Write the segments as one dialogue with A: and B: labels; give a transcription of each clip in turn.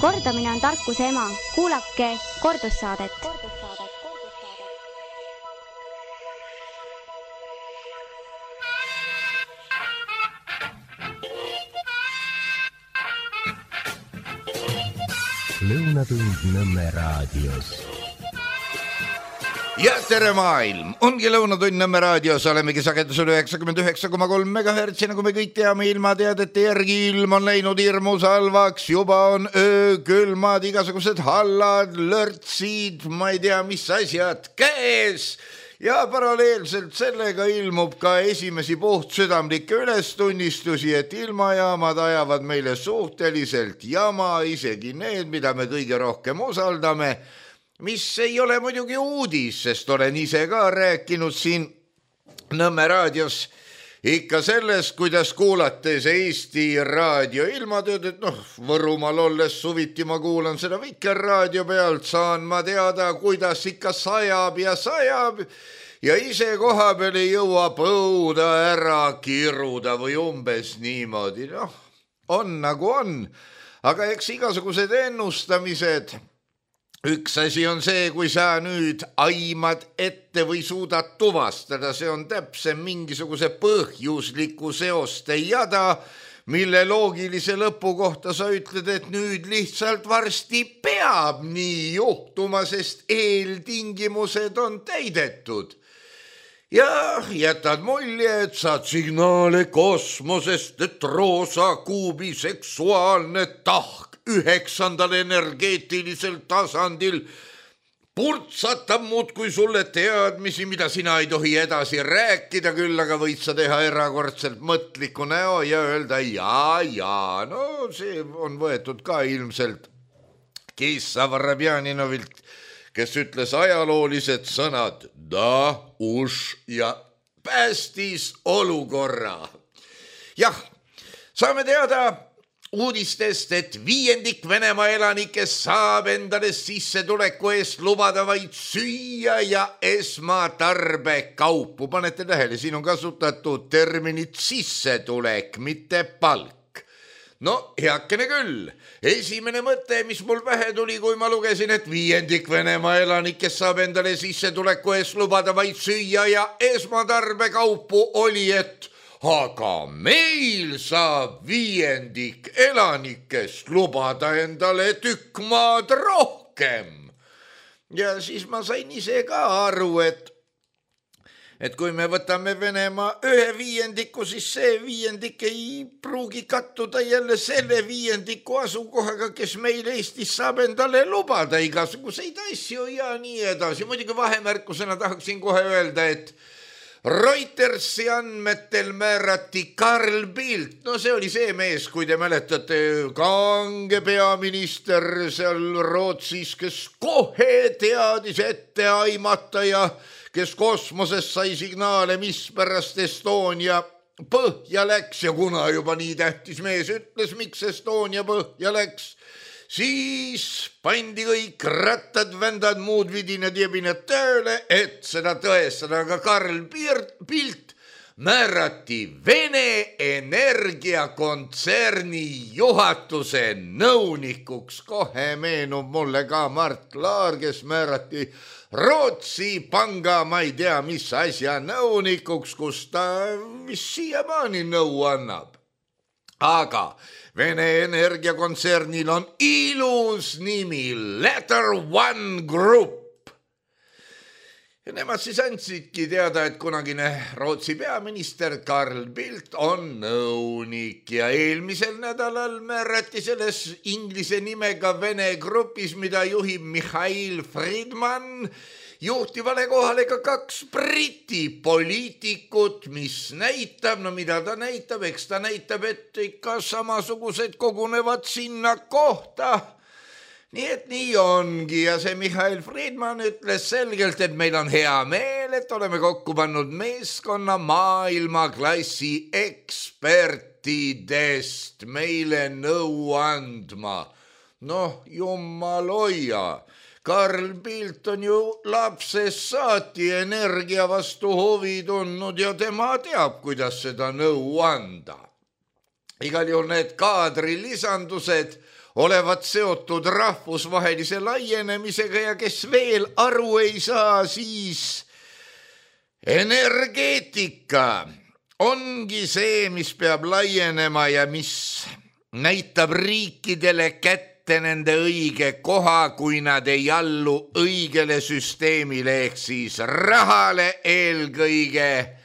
A: Kordamine on tarkuse ema. Kuulake kordussaadet.
B: Lõunatund Nõmme raadios.
C: Ja tere maailm! Ongi Lõunatund Nõmme raadios, olemegi sagedusel 99,3 MHz, nagu me kõik teame ilmateadete järgi. Ilm on läinud hirmus halvaks, juba on öökülmad, igasugused hallad, lörtsid, ma ei tea mis asjad käes. Ja paralleelselt sellega ilmub ka esimesi puhtsüdamlikke ülestunnistusi, et ilmajaamad ajavad meile suhteliselt jama, isegi need, mida me kõige rohkem usaldame, mis ei ole muidugi uudis, sest olen ise ka rääkinud siin Nõmme raadios ikka sellest, kuidas kuulates Eesti raadio ilmatööd, et Võrumaal olles suviti ma kuulan seda Vikerraadio pealt, saan ma teada, kuidas ikka sajab ja ise koha peal ei jõua põuda ära kiruda või umbes niimoodi. On nagu on, aga eks igasugused ennustamised. Üks asi on see, kui sa nüüd aimad ette või suudad tuvastada, see on täpsem mingisuguse põhjusliku seoste jada, mille loogilise lõpu kohta sa ütled, et nüüd lihtsalt varsti peab nii juhtuma, sest eeltingimused on täidetud. Ja jätad mulje, et saad signaale kosmosest, et roosa kuubi seksuaalne tahk 9. energeetilisel tasandil purtsatab muudkui sulle teadmisi, mida sina ei tohi edasi rääkida, küll aga võid sa teha erakordselt mõtliku näo ja öelda see on võetud ka ilmselt Kissa Varabjaninovilt, kes ütles ajaloolised sõnad da, uš ja päästis olukorra. Jah, saame teada uudistest, et 5% Venemaa elanikest saab endale sissetuleku eest lubada vaid süüa ja esmatarbekaupu. Panete tähele, siin on kasutatud terminit sissetulek, mitte palk. Heakene küll. Esimene mõte, mis mul pähe tuli, kui ma lugesin, et 5% Venemaa elanikest saab endale sissetuleku eest lubada vaid süüa ja esmatarbekaupu, oli, et aga meil saab 5% elanikest lubada endale tükk maad rohkem. Ja siis ma sain ise ka aru, et kui me võtame Venemaa 1/5, siis see 5% ei pruugi kattuda jälle selle 5% asukohaga, kes meil Eestis saab endale lubada igasuguseid asju ja nii edasi. Muidugi vahemärkusena tahaksin kohe öelda, et Reutersi andmetel määrati Carl Bildt, see oli see mees, kui te mäletate, kange peaminister seal Rootsis, kes kohe teadis ette aimata ja kes kosmoses sai signaale, mis pärast Estonia põhja läks ja kuna juba nii tähtis mees ütles, miks Estonia põhja läks, siis pandi kõik rattad, vändad, muud vidinad ja jebinad tööle, et seda tõestada, aga Carl Bildt määrati Vene energiakontserni juhatuse nõunikuks. Kohe meenub mulle ka Mart Laar, kes määrati Rootsi panga, ma ei tea, mis asja nõunikuks, kus ta siiamaani nõu annab. Aga Vene energiakontsernil on ilus nimi, Letter One Group. Ja nemad siis andsidki teada, et kunagine Rootsi peaminister Carl Bildt on nõunik ja eelmisel nädalal määrati selles inglise nimega Vene grupis, mida juhib Mihhail Friedman, juhtivale kohale ka 2 Briti poliitikut, mis näitab, mida ta näitab, eks ta näitab, et ikka samasugused kogunevad sinna kohta. Nii et nii ongi ja see Mihhail Friedman ütles selgelt, et meil on hea meel, et oleme kokku pannud meeskonna maailmaklassi ekspertidest meile nõu andma. Jumal hoia. Carl Bildt on ju lapsest saati energia vastu huvi tundnud ja tema teab, kuidas seda nõu anda. Igal juhul need kaadrilisandused olevat seotud rahvusvahelise laienemisega ja kes veel aru ei saa, siis energeetika ongi see, mis peab laienema ja mis näitab riikidele kätte nende õige koha, kui nad ei allu õigele süsteemile ehk siis rahale eelkõige,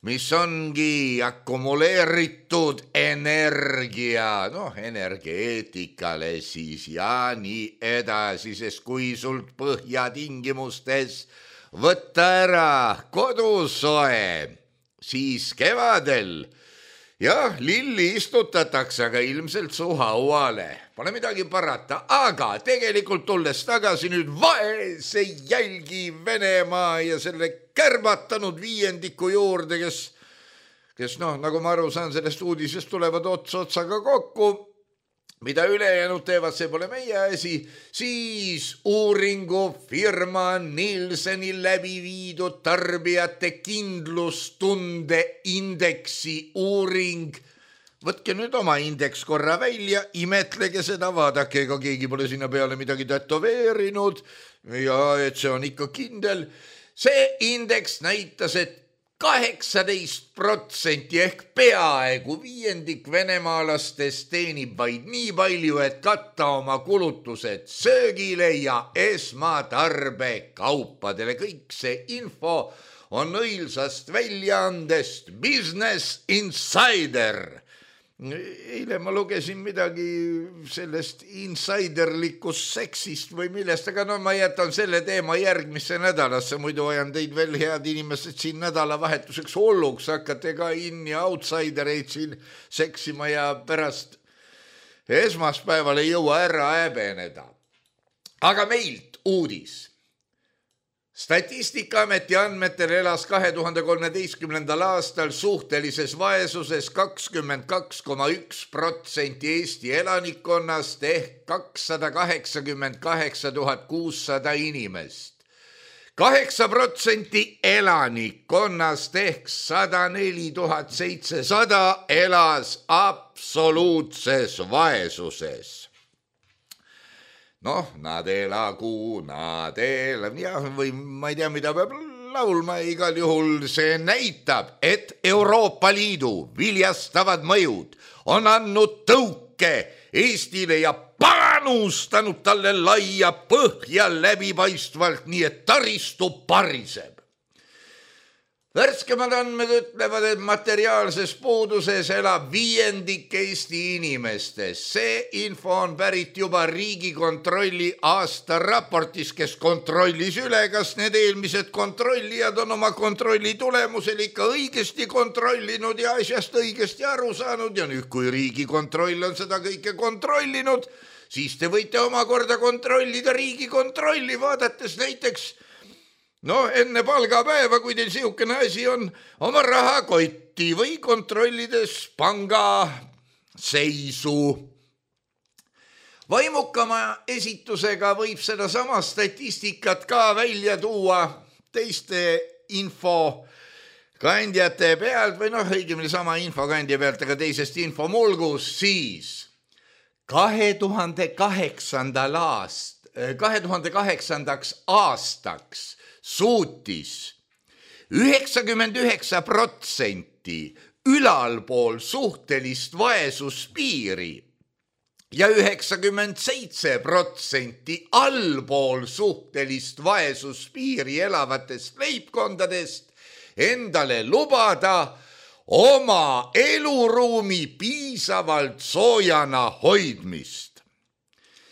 C: mis ongi akumuleeritud energia, energeetikale siis ja nii edasi, sest kui sult põhjatingimustes võtta ära kodusoe, siis kevadel jah, lilli istutatakse, aga ilmselt su hauale. Pole midagi parata, aga tegelikult tulles tagasi nüüd vaese jälgi Venemaa ja selle kärbatanud viiendiku juurde, kes nagu ma aru saan, sellest uudisest tulevad otsaga kokku, mida ülejäänud teevad, see pole meie asi, siis uuringufirma Nielseni läbi viidud tarbijate kindlustunde indeksi uuring. Võtke nüüd oma indeks korra välja, imetlege seda, vaadake, ega keegi pole sinna peale midagi tätoveerinud ja et see on ikka kindel. See indeks näitas, et 18% ehk peaaegu viiendik venemaalastest teenib vaid nii palju, et katta oma kulutused söögile ja esmatarbekaupadele. Kõik see info on õilsast väljaandest Business Insider. Eile ma lugesin midagi sellest insiderlikust seksist või millest, aga ma jätan selle teema järgmisse nädalasse, muidu ajan teid veel, head inimesed, siin nädalavahetuseks hulluks, hakkate ka in- ja outsidereid siin seksima ja pärast esmaspäeval ei jõua ära häbeneda. Aga meilt uudis. Statistikaameti andmetel elas 2013. aastal suhtelises vaesuses 22,1% Eesti elanikkonnast ehk 288 600 inimest. 8% elanikkonnast ehk 104 700 elas absoluutses vaesuses. Nad elagu, või ma ei tea, mida peab laulma, igal juhul see näitab, et Euroopa Liidu viljastavad mõjud on andnud tõuke Eestile ja panustanud talle laia põhja läbipaistvalt, nii et taristu pariseb. Värskemad andmed ütlevad, et materiaalses puuduses elab viiendik Eesti inimestest. See info on pärit juba Riigikontrolli aastaraportis, kes kontrollis üle, kas need eelmised kontrollijad on oma kontrolli tulemusel ikka õigesti kontrollinud ja asjast õigesti aru saanud. Ja nüüd, kui Riigikontroll on seda kõike kontrollinud, siis te võite omakorda kontrollida Riigikontrolli, vaadates näiteks enne palgapäeva, kui teil siukene asi on, oma rahakotti või kontrollides panga seisu. Vaimukama esitusega võib seda sama statistikat ka välja tuua teiste infokandjate pealt või õigemini sama infokandja pealt, aga teisest infomulgus, siis 2008. aastaks suutis 99% ülalpool suhtelist vaesuspiiri ja 97% allpool suhtelist vaesuspiiri elavatest leibkondadest endale lubada oma eluruumi piisavalt soojana hoidmist.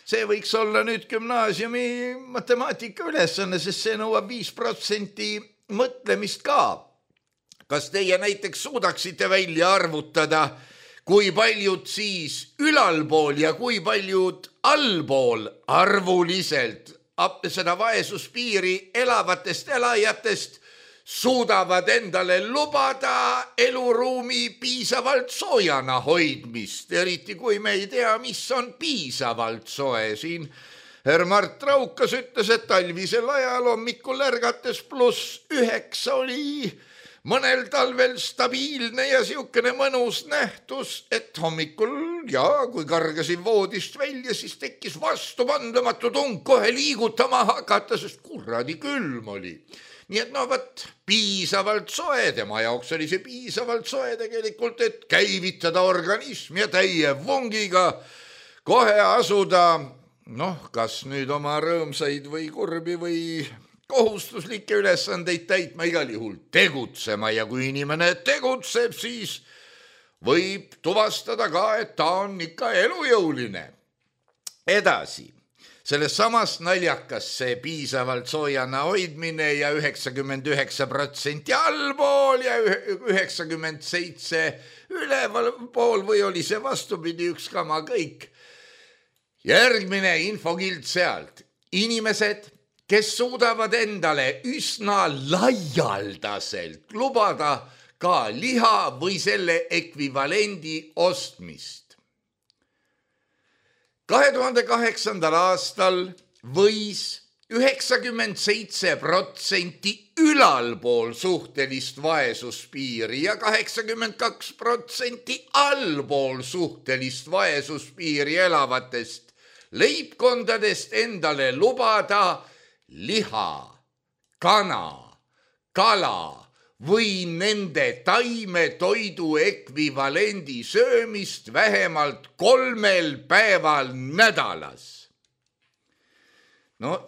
C: See võiks olla nüüd gümnaasiumi matemaatika ülesanne, sest see nõuab 5% mõtlemist ka. Kas teie näiteks suudaksite välja arvutada, kui paljud siis ülalpool ja kui paljud allpool arvuliselt seda vaesuspiiri elavatest elajatest suudavad endale lubada eluruumi piisavalt soojana hoidmist, eriti kui me ei tea, mis on piisavalt soe. Siin Mart Raukas ütles, et talvisel ajal hommikul ärgates +9 oli mõnel talvel stabiilne ja siukene mõnus nähtus, et hommikul ja kui kargasin voodist välja, siis tekkis vastupandamatu tung kohe liigutama hakata, sest kuradi külm oli. Nii et piisavalt soe, tema jaoks oli see piisavalt soe tegelikult, et käivitada organism ja täie vungiga kohe asuda, kas nüüd oma rõõmsaid või kurbi või kohustuslikke ülesandeid täitma, igal juhul tegutsema ja kui inimene tegutseb, siis võib tuvastada ka, et ta on ikka elujõuline. Edasi. Selles samas naljakas see piisavalt soojana hoidmine ja 99% allpool ja 97% üleval pool või oli see vastupidi, üks kama kõik. Järgmine infokild sealt. Inimesed, kes suudavad endale üsna laialdaselt lubada ka liha või selle ekvivalendi ostmist. 2008. aastal võis 97% ülalpool suhtelist vaesuspiiri ja 82% allpool suhtelist vaesuspiiri elavatest leibkondadest endale lubada liha, kana, kala või nende taimetoidu ekvivalendi söömist vähemalt 3 päeval nädalas.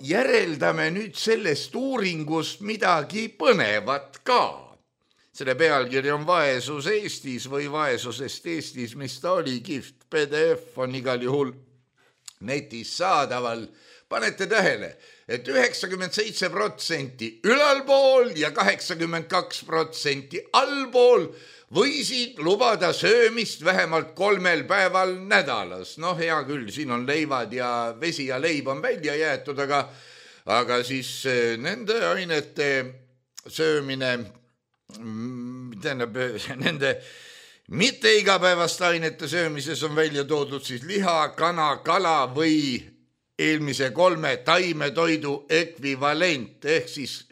C: Järeldame nüüd sellest uuringust midagi põnevat ka. Selle pealkiri on Vaesus Eestis või Vaesusest Eestis, mis ta oli, kihvt PDF on igal juhul netis saadaval. Panete tähele, et 97% ülalpool ja 82% allpool võisid lubada söömist vähemalt 3 päeval nädalas. Hea küll, siin on leivad ja vesi ja leib on välja jäetud, aga siis nende ainete söömine, nende mitte igapäevaste ainete söömises on välja toodud siis liha, kana, kala või eelmise 3 taimetoidu ekvivalent, ehk siis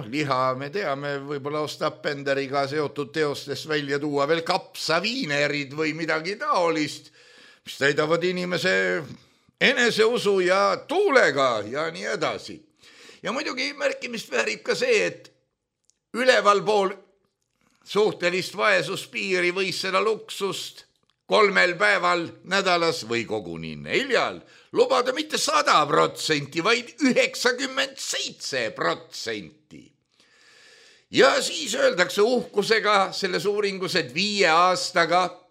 C: liha me teame, võib-olla Ostapenderiga seotud teostest välja tuua veel kapsaviinerid või midagi taolist, mis täidavad inimese eneseusu ja tuulega ja nii edasi. Ja muidugi märkimist väärib ka see, et ülevalpool suhtelist vaesuspiiri võis seda luksust 3 päeval nädalas või koguni 4 lubada mitte 100%, vaid 97%. Ja siis öeldakse uhkusega selles uuringus, et 5 aastaga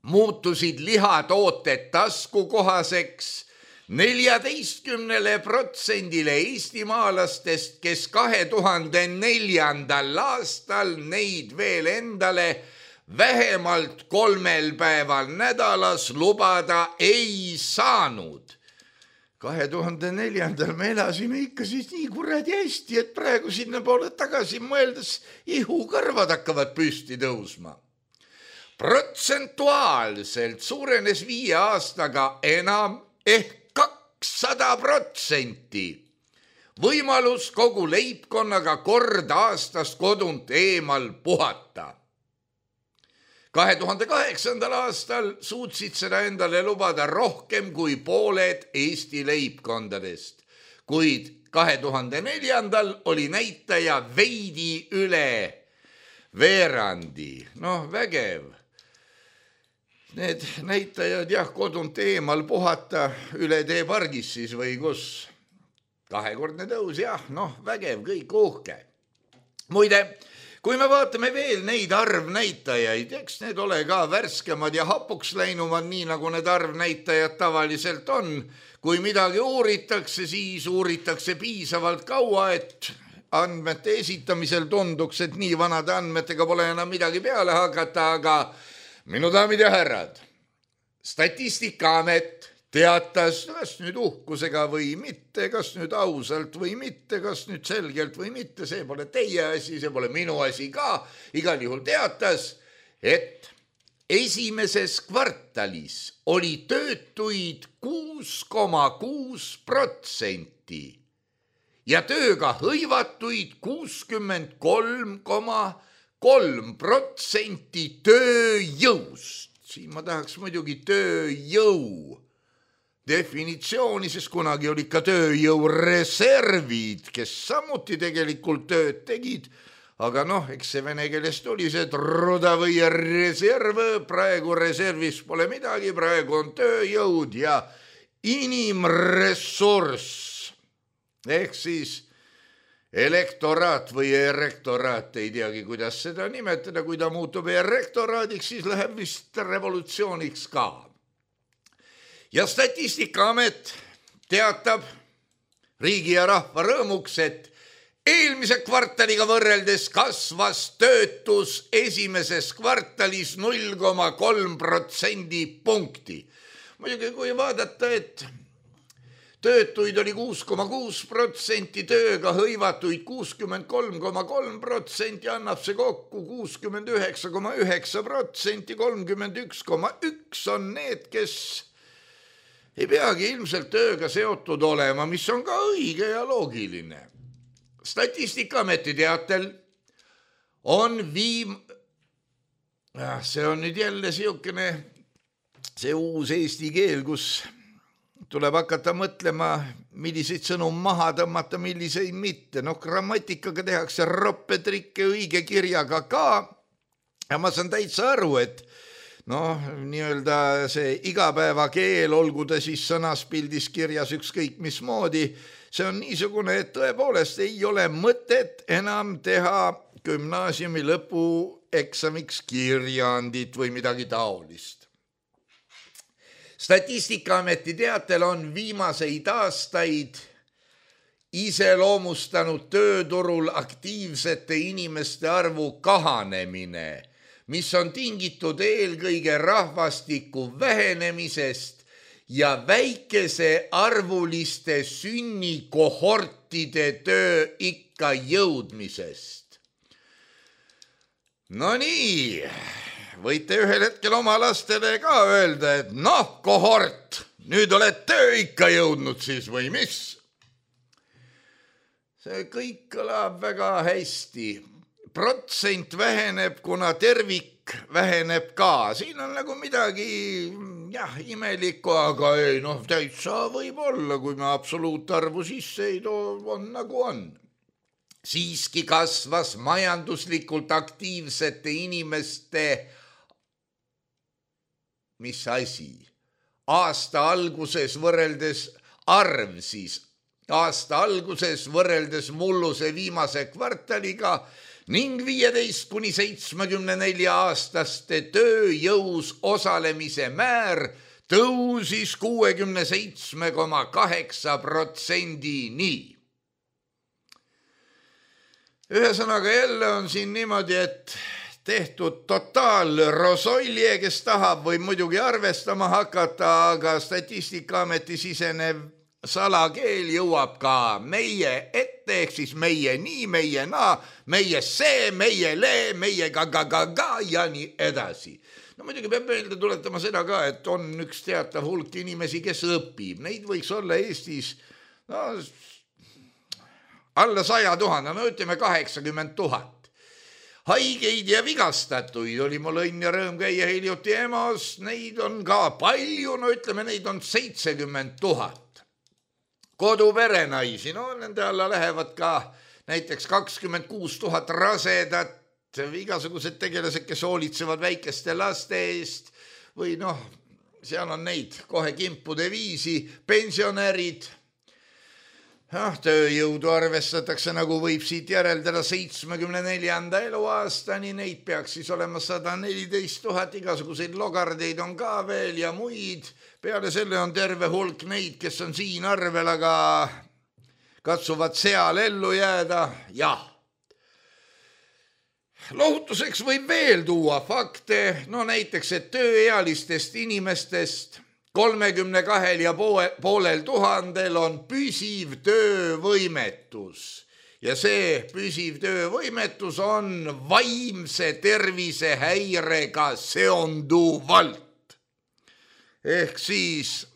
C: muutusid lihatooted taskukohaseks 14% eestimaalastest, kes 2004. aastal neid veel endale vähemalt 3 päeval nädalas lubada ei saanud. 2004. me elasime ikka siis nii kuradi hästi, et praegu sinna poole tagasi mõeldes ihukõrvad hakkavad püsti tõusma. Protsentuaalselt suurenes 5 aastaga enam ehk 200% võimalus kogu leibkonnaga kord aastas kodunt eemal puhata. 2008. aastal suutsid seda endale lubada rohkem kui pooled Eesti leibkondadest, kuid 2004. oli näitaja veidi üle veerandi. Vägev. Need näitajad kodunt eemal puhata üle tee pargis siis või kus. 2-kordne tõus, vägev, kõik uhke. Muide, kui me vaatame veel neid arvnäitajaid, eks need ole ka värskemad ja hapuks läinumad, nii nagu need arvnäitajad tavaliselt on. Kui midagi uuritakse, siis uuritakse piisavalt kaua, et andmete esitamisel tunduks, et nii vanade andmetega pole enam midagi peale hakata, aga minu daamid ja härrad, Statistikaamet teatas, kas nüüd uhkusega või mitte, kas nüüd ausalt või mitte, kas nüüd selgelt või mitte, see pole teie asi, see pole minu asi ka, igal juhul teatas, et esimeses kvartalis oli töötuid 6,6% ja tööga hõivatuid 63,8%. 3% tööjõust. Siin ma tahaks muidugi tööjõu definitsiooni, sest kunagi oli ka tööjõureservid, kes samuti tegelikult tööd tegid, aga eks see vene keelest oli see truda või reserv, praegu reservis pole midagi, praegu on tööjõud ja inimressurss. Ehk siis elektoraat või erektoraat, ei teagi, kuidas seda nimetada, kui ta muutub erektoraadiks, siis läheb vist revolutsiooniks ka. Ja Statistikaamet teatab riigi ja rahva rõõmuks, et eelmise kvartaliga võrreldes kasvas töötus esimeses kvartalis 0,3% punkti. Muidugi kui vaadata, et töötuid oli 6,6%, tööga hõivatuid 63,3%, annab see kokku 69,9%, 31,1% on need, kes ei peagi ilmselt tööga seotud olema, mis on ka õige ja loogiline. Statistikaameti teatel on see on nüüd jälle see uus eesti keel, kus tuleb hakata mõtlema, milliseid sõnu maha tõmmata, milliseid mitte. Grammatikaga tehakse roppetrikke õige kirjaga ka ja ma saan täitsa aru, et nii-öelda see igapäevakeel, olgu ta siis sõnaspildis kirjas ükskõik mismoodi, see on niisugune, et tõepoolest ei ole mõtet enam teha gümnaasiumi lõpueksamiks kirjandit või midagi taolist. Statistikaameti teatel on viimaseid aastaid iseloomustanud tööturul aktiivsete inimeste arvu kahanemine, mis on tingitud eelkõige rahvastiku vähenemisest ja väikese arvuliste sünnikohortide tööikka jõudmisest. No nii, võite ühel hetkel oma lastele ka öelda, et kohort, nüüd oled tööikka jõudnud siis või mis? See kõik kõlab väga hästi. Protsent väheneb, kuna tervik väheneb ka. Siin on nagu midagi imelikku, aga ei, täitsa võib olla, kui me absoluutarvu sisse ei too, on nagu on. Siiski kasvas majanduslikult aktiivsete inimeste, mis asi? Aasta alguses võrreldes mulluse viimase kvartaliga ning 15–74 aastaste tööjõus osalemise määr tõusis 67,8%-ni. Ühesõnaga jälle on siin niimoodi, et tehtud totaalrosolje, kes tahab või muidugi arvestama hakata, aga Statistikaameti sisenev salakeel jõuab ka meie ette, ehk siis meie nii, meie naa, meie see, meie le, meie ga ja nii edasi. Muidugi peab meelde tuletama seda ka, et on üks teatav hulk inimesi, kes õpib. Neid võiks olla Eestis alla 100 000, ütleme 80 000. Haigeid ja vigastatuid oli mul õnn ja rõõm käia hiljuti EMO-s, neid on ka palju, ütleme neid on 70 000. Koduperenaisi, nende alla lähevad ka näiteks 26 000 rasedat, igasugused tegelased, kes hoolitsevad väikeste laste eest või seal on neid kohe kimpude viisi, pensionärid. Tööjõudu arvestatakse, nagu võib siit järeldada 74. eluaastani, neid peaks siis olema 114 000, igasuguseid logardeid on ka veel ja muid. Peale selle on terve hulk neid, kes on siin arvel, aga katsuvad seal ellu jääda. Jah. Lohutuseks võib veel tuua fakte, näiteks, et tööealistest inimestest 32,5 000 on püsiv töövõimetus ja see püsiv töövõimetus on vaimse tervise häirega seonduvalt. Ehk siis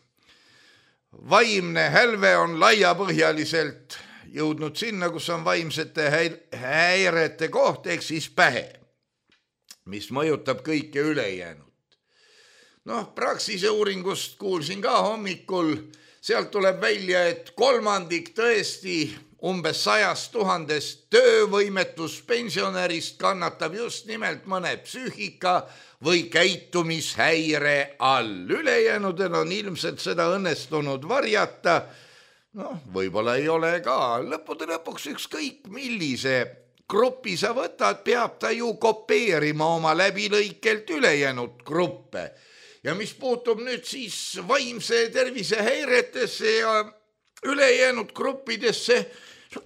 C: vaimne hälve on laiapõhjaliselt jõudnud sinna, kus on vaimsete häirete koht, ehk siis pähe. mis mõjutab kõike ülejäänud. Praxise uuringust kuulsin ka hommikul, sealt tuleb välja, et 1/3 tõesti umbes 100 000 töövõimetuspensionärist kannatab just nimelt mõne psüühika või käitumishäire all. Ülejäänudel on ilmselt seda õnnestunud varjata. Võib-olla ei ole ka. Lõppude lõpuks ükskõik millise grupi sa võtad, peab ta ju kopeerima oma läbilõikelt ülejäänud gruppe. Ja mis puutub nüüd siis vaimse tervise häiretesse ja ülejäänud gruppidesse,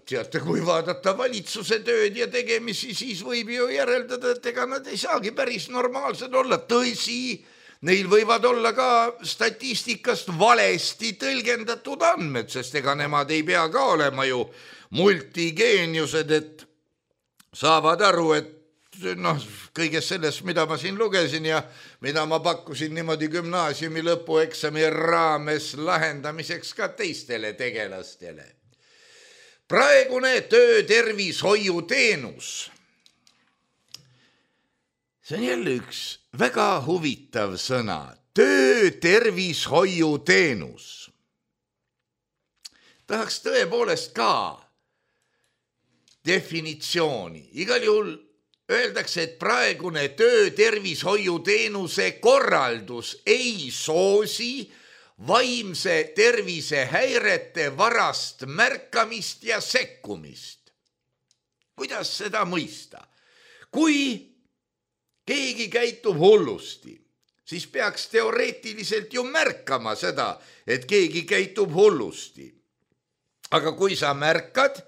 C: teate, kui vaadata valitsuse tööd ja tegemisi, siis võib ju järeldada, et ega nad ei saagi päris normaalsed olla. Tõsi, neil võivad olla ka statistikast valesti tõlgendatud andmed, sest ega nemad ei pea ka olema ju multigeeniused, et saavad aru, et kõigest sellest, mida ma siin lugesin ja mida ma pakkusin niimoodi gümnaasiumi lõpueksami raames lahendamiseks ka teistele tegelastele. Praegune töötervishoiuteenus. See on jälle üks väga huvitav sõna. Töötervishoiuteenus. Tahaks tõepoolest ka definitsiooni. Igal juhul öeldakse, et praegune töötervishoiuteenuse korraldus ei soosi vaimse tervise häirete varast märkamist ja sekkumist. Kuidas seda mõista? Kui keegi käitub hullusti, siis peaks teoreetiliselt ju märkama seda, et keegi käitub hullusti. Aga kui sa märkad,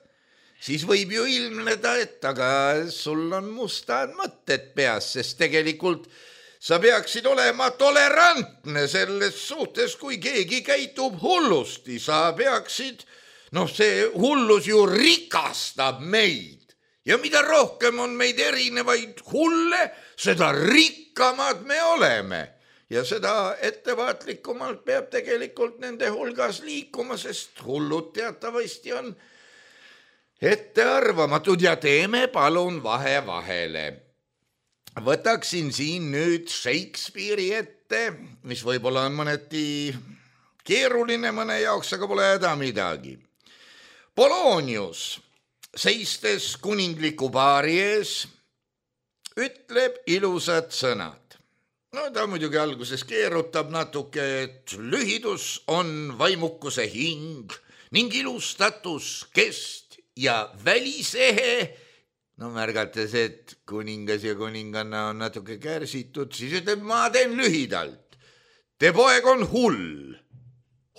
C: siis võib ju ilmneda, et aga sul on mustad mõtted peas, sest tegelikult sa peaksid olema tolerantne selles suhtes, kui keegi käitub hullusti. Sa peaksid, see hullus ju rikastab meid. Ja mida rohkem on meid erinevaid hulle, seda rikkamad me oleme. Ja seda ettevaatlikumalt peab tegelikult nende hulgas liikuma, sest hullud teatavasti on ettearvamatud ja teeme palun vahe vahele. Võtaksin siin nüüd Shakespeare'i ette, mis võib-olla on mõneti keeruline mõne jaoks, aga pole häda midagi. Polonius, seistes kuningliku paari ees, ütleb ilusad sõnad. Ta muidugi alguses keerutab natuke, et lühidus on vaimukuse hing ning ilustatus kest ja välisehe. Märgates, et kuningas ja kuninganna on natuke kärsitud, siis ütleb, ma teen lühidalt. Te poeg on hull.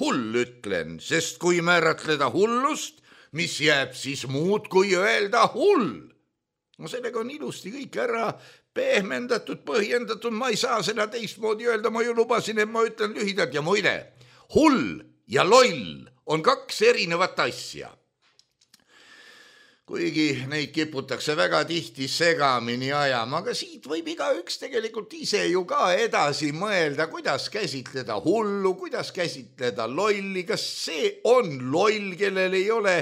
C: Hull ütlen, sest kui määratleda hullust, mis jääb siis muud kui öelda hull. Sellega on ilusti kõik ära pehmendatud, põhjendatud, ma ei saa seda teistmoodi öelda, ma ju lubasin, et ma ütlen lühidalt ja muide, hull ja loll on 2 erinevat asja. Kuigi neid kiputakse väga tihti segamini ajama, aga siit võib igaüks tegelikult ise ju ka edasi mõelda, kuidas käsitleda hullu, kuidas käsitleda lolli, kas see on loll, kellel ei ole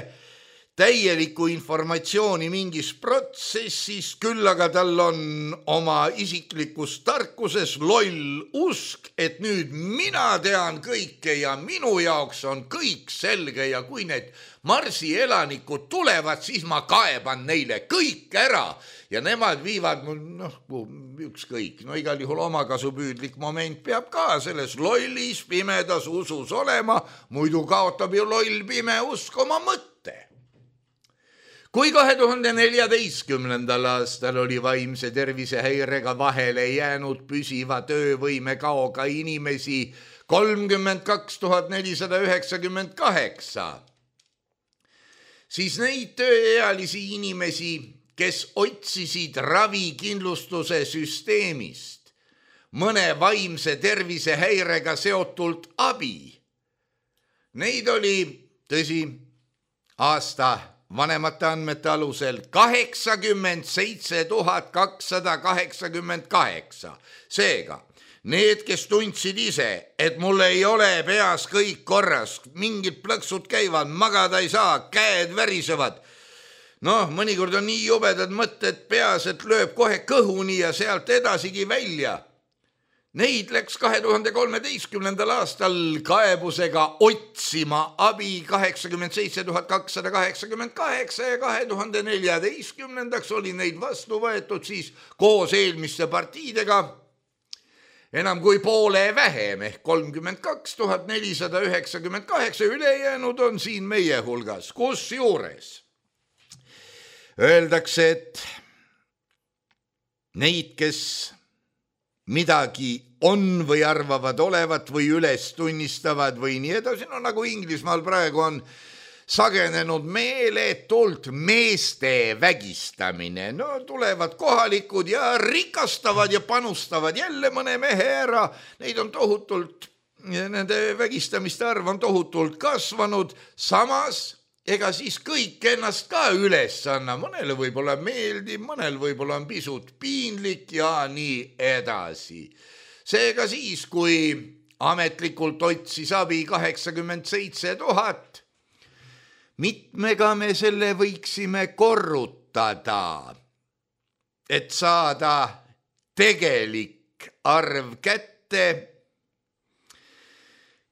C: täielikku informatsiooni mingis protsessis, küll aga tal on oma isiklikus tarkuses loll usk, et nüüd mina tean kõike ja minu jaoks on kõik selge ja kui need Marsi elanikud tulevad, siis ma kaeban neile kõik ära ja nemad viivad ükskõik. Igal juhul omakasupüüdlik moment peab ka selles lollis pimedas usus olema, muidu kaotab ju loll pime usk oma mõtte. Kui 2014. aastal oli vaimse tervise häirega vahele jäänud püsiva töövõime kaoga inimesi 32 498, siis neid tööealisi inimesi, kes otsisid ravikindlustuse süsteemist mõne vaimse tervise häirega seotult abi, neid oli, tõsi, aasta vanemate andmete alusel 87 288. Seega, need, kes tundsid ise, et mul ei ole peas kõik korras, mingid plõksud käivad, magada ei saa, käed värisevad, Noh, mõnikord on nii jubedad mõtted peas, et lööb kohe kõhuni ja sealt edasigi välja. Neid läks 2013. aastal kaebusega otsima abi 87 288 ja 2014. oli neid vastu võetud siis koos eelmiste partiidega enam kui poole vähem ehk 32 498, ülejäänud on siin meie hulgas, kusjuures öeldakse, et neid, kes midagi on või arvavad olevat või üles tunnistavad või nii edasi, no nagu Inglismaal praegu on sagenenud meeletult meeste vägistamine. No tulevad kohalikud ja rikastavad ja panustavad jälle mõne mehe ära. Neid on tohutult, nende vägistamiste arv on tohutult kasvanud, samas ega siis kõik ennast ka üles anna. Mõnele võib-olla meeldib, mõnel võib-olla on pisut piinlik ja nii edasi. Seega siis, kui ametlikult otsis abi 87 000, mitmega me selle võiksime korrutada, et saada tegelik arv kätte,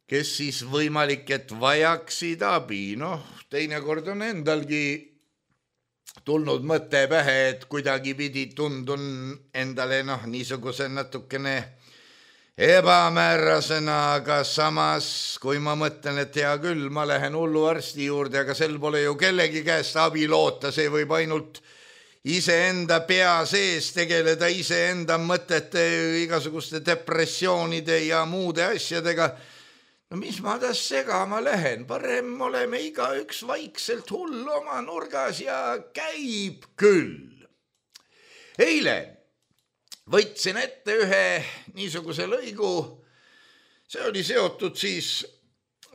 C: kes siis võimalik, et vajaksid abi. Noh, teinekord on endalgi tulnud mõte pähe, et kuidagi pidi tundun endale niisuguse natukene ebamäärasena, aga samas, kui ma mõtlen, et hea küll, ma lähen hullu arsti juurde, aga sel pole ju kellegi käest abi loota, see võib ainult iseenda pea sees tegeleda iseenda mõtete, igasuguste depressioonide ja muude asjadega. No mis ma tas segama lähen, parem oleme igaüks vaikselt hull oma nurgas ja käib küll. Eile võtsin ette ühe niisuguse lõigu, see oli seotud siis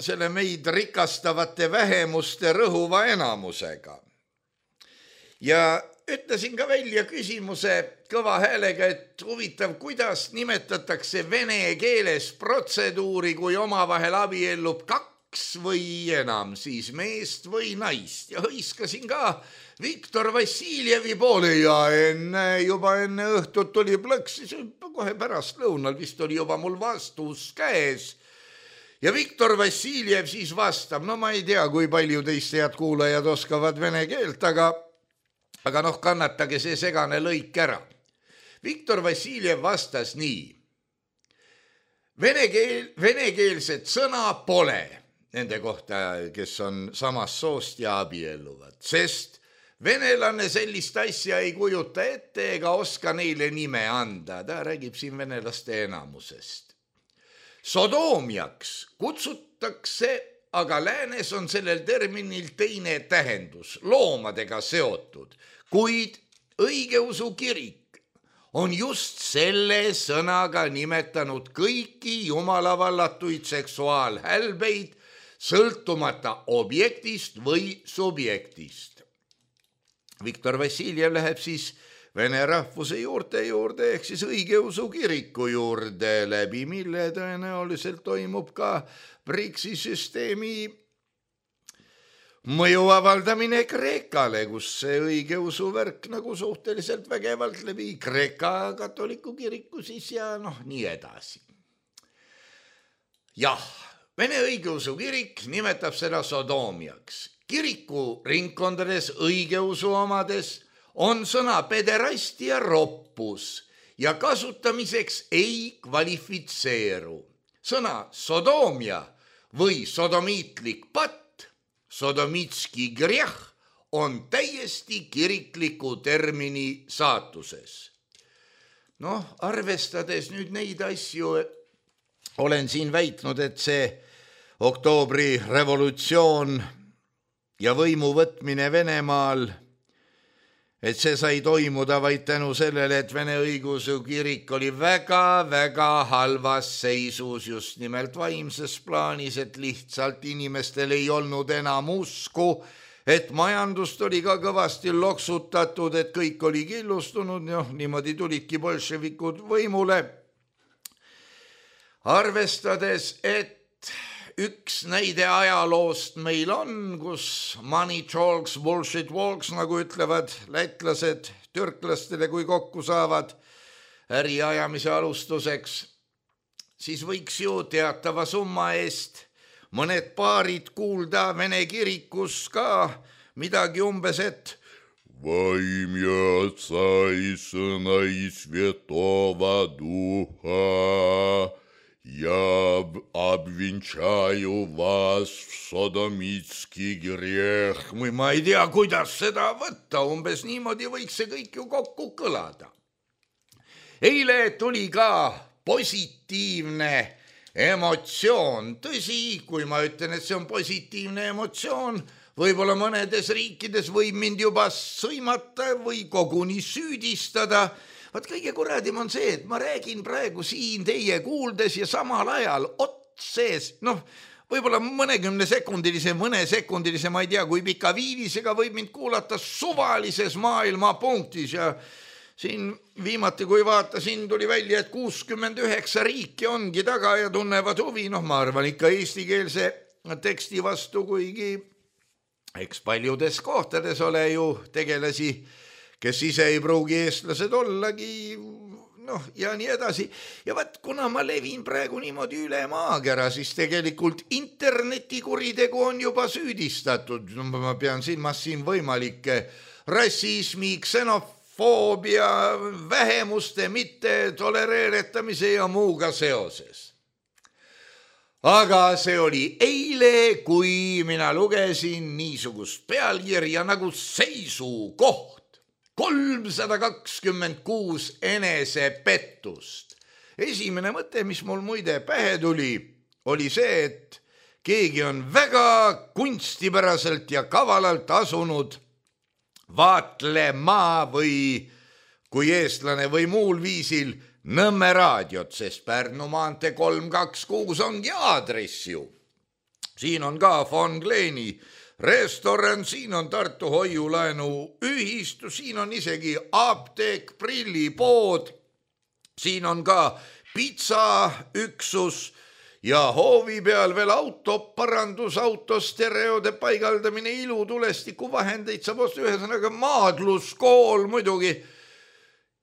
C: selle meid rikastavate vähemuste rõhuva enamusega. Ja ütlesin ka välja küsimuse kõva häälega, et huvitav, kuidas nimetatakse vene keeles protseduuri, kui omavahel abiellub kaks või enam, siis meest või naist. Ja hõiskasin ka Viktor Vassiljevi poole ja juba enne õhtut tuli plõks, kohe pärast lõunal vist oli juba mul vastus käes. Ja Viktor Vassiljev siis vastab, no ma ei tea, kui palju teist head kuulajad oskavad vene keelt, aga kannatage see segane lõik ära. Viktor Vassiljev vastas nii. Venekeelset sõna pole nende kohta, kes on samast soost ja abielluvad, sest venelane sellist asja ei kujuta ette ega oska neile nime anda. Ta räägib siin venelaste enamusest. Sodoomiaks kutsutakse, aga läänes on sellel terminil teine tähendus, loomadega seotud, kuid õigeusu kirik on just selle sõnaga nimetanud kõiki jumalavallatuid seksuaalhälbeid, sõltumata objektist või subjektist. Viktor Vassiljev läheb siis vene rahvuse juurde ehk siis õigeusu kiriku juurde, läbi mille tõenäoliselt toimub ka BRICS-i süsteemi mõju avaldamine Kreekale, kus see õigeusu värk nagu suhteliselt vägevalt läbi Kreeka katoliku kiriku siis ja nii edasi. Jah, Vene õigeusu kirik nimetab seda sodoomiaks. Kiriku ringkondades õigeusu omades on sõna pederast ja roppus ja kasutamiseks ei kvalifitseeru. Sõna sodoomia või sodomiitlik patt, sodomitski grjah, on täiesti kirikliku termini saatuses. Arvestades nüüd neid asju, olen siin väitnud, et see oktoobri revolutsioon ja võimu võtmine Venemaal, et see sai toimuda vaid tänu sellele, et Vene õigeusu kirik oli väga-väga halvas seisus just nimelt vaimses plaanis, et lihtsalt inimestel ei olnud enam usku, et majandust oli ka kõvasti loksutatud, et kõik oli killustunud, niimoodi tulidki bolševikud võimule. Arvestades, et üks näide ajaloost meil on, kus money talks, bullshit walks, nagu ütlevad lätlased türklastele, kui kokku saavad äriajamise alustuseks, siis võiks ju teatava summa eest mõned paarid kuulda Vene kirikus ka midagi umbes, et
D: Во имя Отца и Сына и Святого Духа я обвенчаю вас в содомитский грех.
C: või ma ei tea, kuidas seda võtta, umbes niimoodi võiks see kõik ju kokku kõlada. Eile tuli ka positiivne emotsioon. Tõsi, kui ma ütlen, et see on positiivne emotsioon, võib-olla mõnedes riikides võib mind juba sõimata või koguni süüdistada. Vaat kõige kuradim on see, et ma räägin praegu siin teie kuuldes ja samal ajal otsees, võib-olla mõne sekundilise, ma ei tea, kui pika viivisega võib mind kuulata suvalises maailmapunktis ja siin viimati, kui vaatasin, tuli välja, et 69 riiki ongi taga ja tunnevad huvi, ma arvan ikka eestikeelse teksti vastu, kuigi eks paljudes kohtades ole ju tegelasi, kes ise ei pruugi eestlased ollagi, ja nii edasi. Ja vaat, kuna ma levin praegu niimoodi üle maakera, siis tegelikult internetikuritegu on juba süüdistatud. Ma pean silmas siin võimalikke rassismi, ksenofoobia, vähemuste mitte tolereeretamise ja muuga seoses. Aga see oli eile, kui mina lugesin niisugust pealkirja nagu seisukoht. 326 enesepettust. Esimene mõte, mis mul muide pähe tuli, oli see, et keegi on väga kunstipäraselt ja kavalalt asunud vaatlema või kui eestlane või muul viisil Nõmme raadiot, sest Pärnu maantee 326 ongi aadress ju. Siin on ka Von Kleeni restoran, siin on Tartu hoiulaenu ühistu, siin on isegi apteek, prillipood, siin on ka pitsaüksus ja hoovi peal veel autoparandus, autostereode paigaldamine, ilutulestiku vahendeid saab osta, ühesõnaga maadluskool muidugi.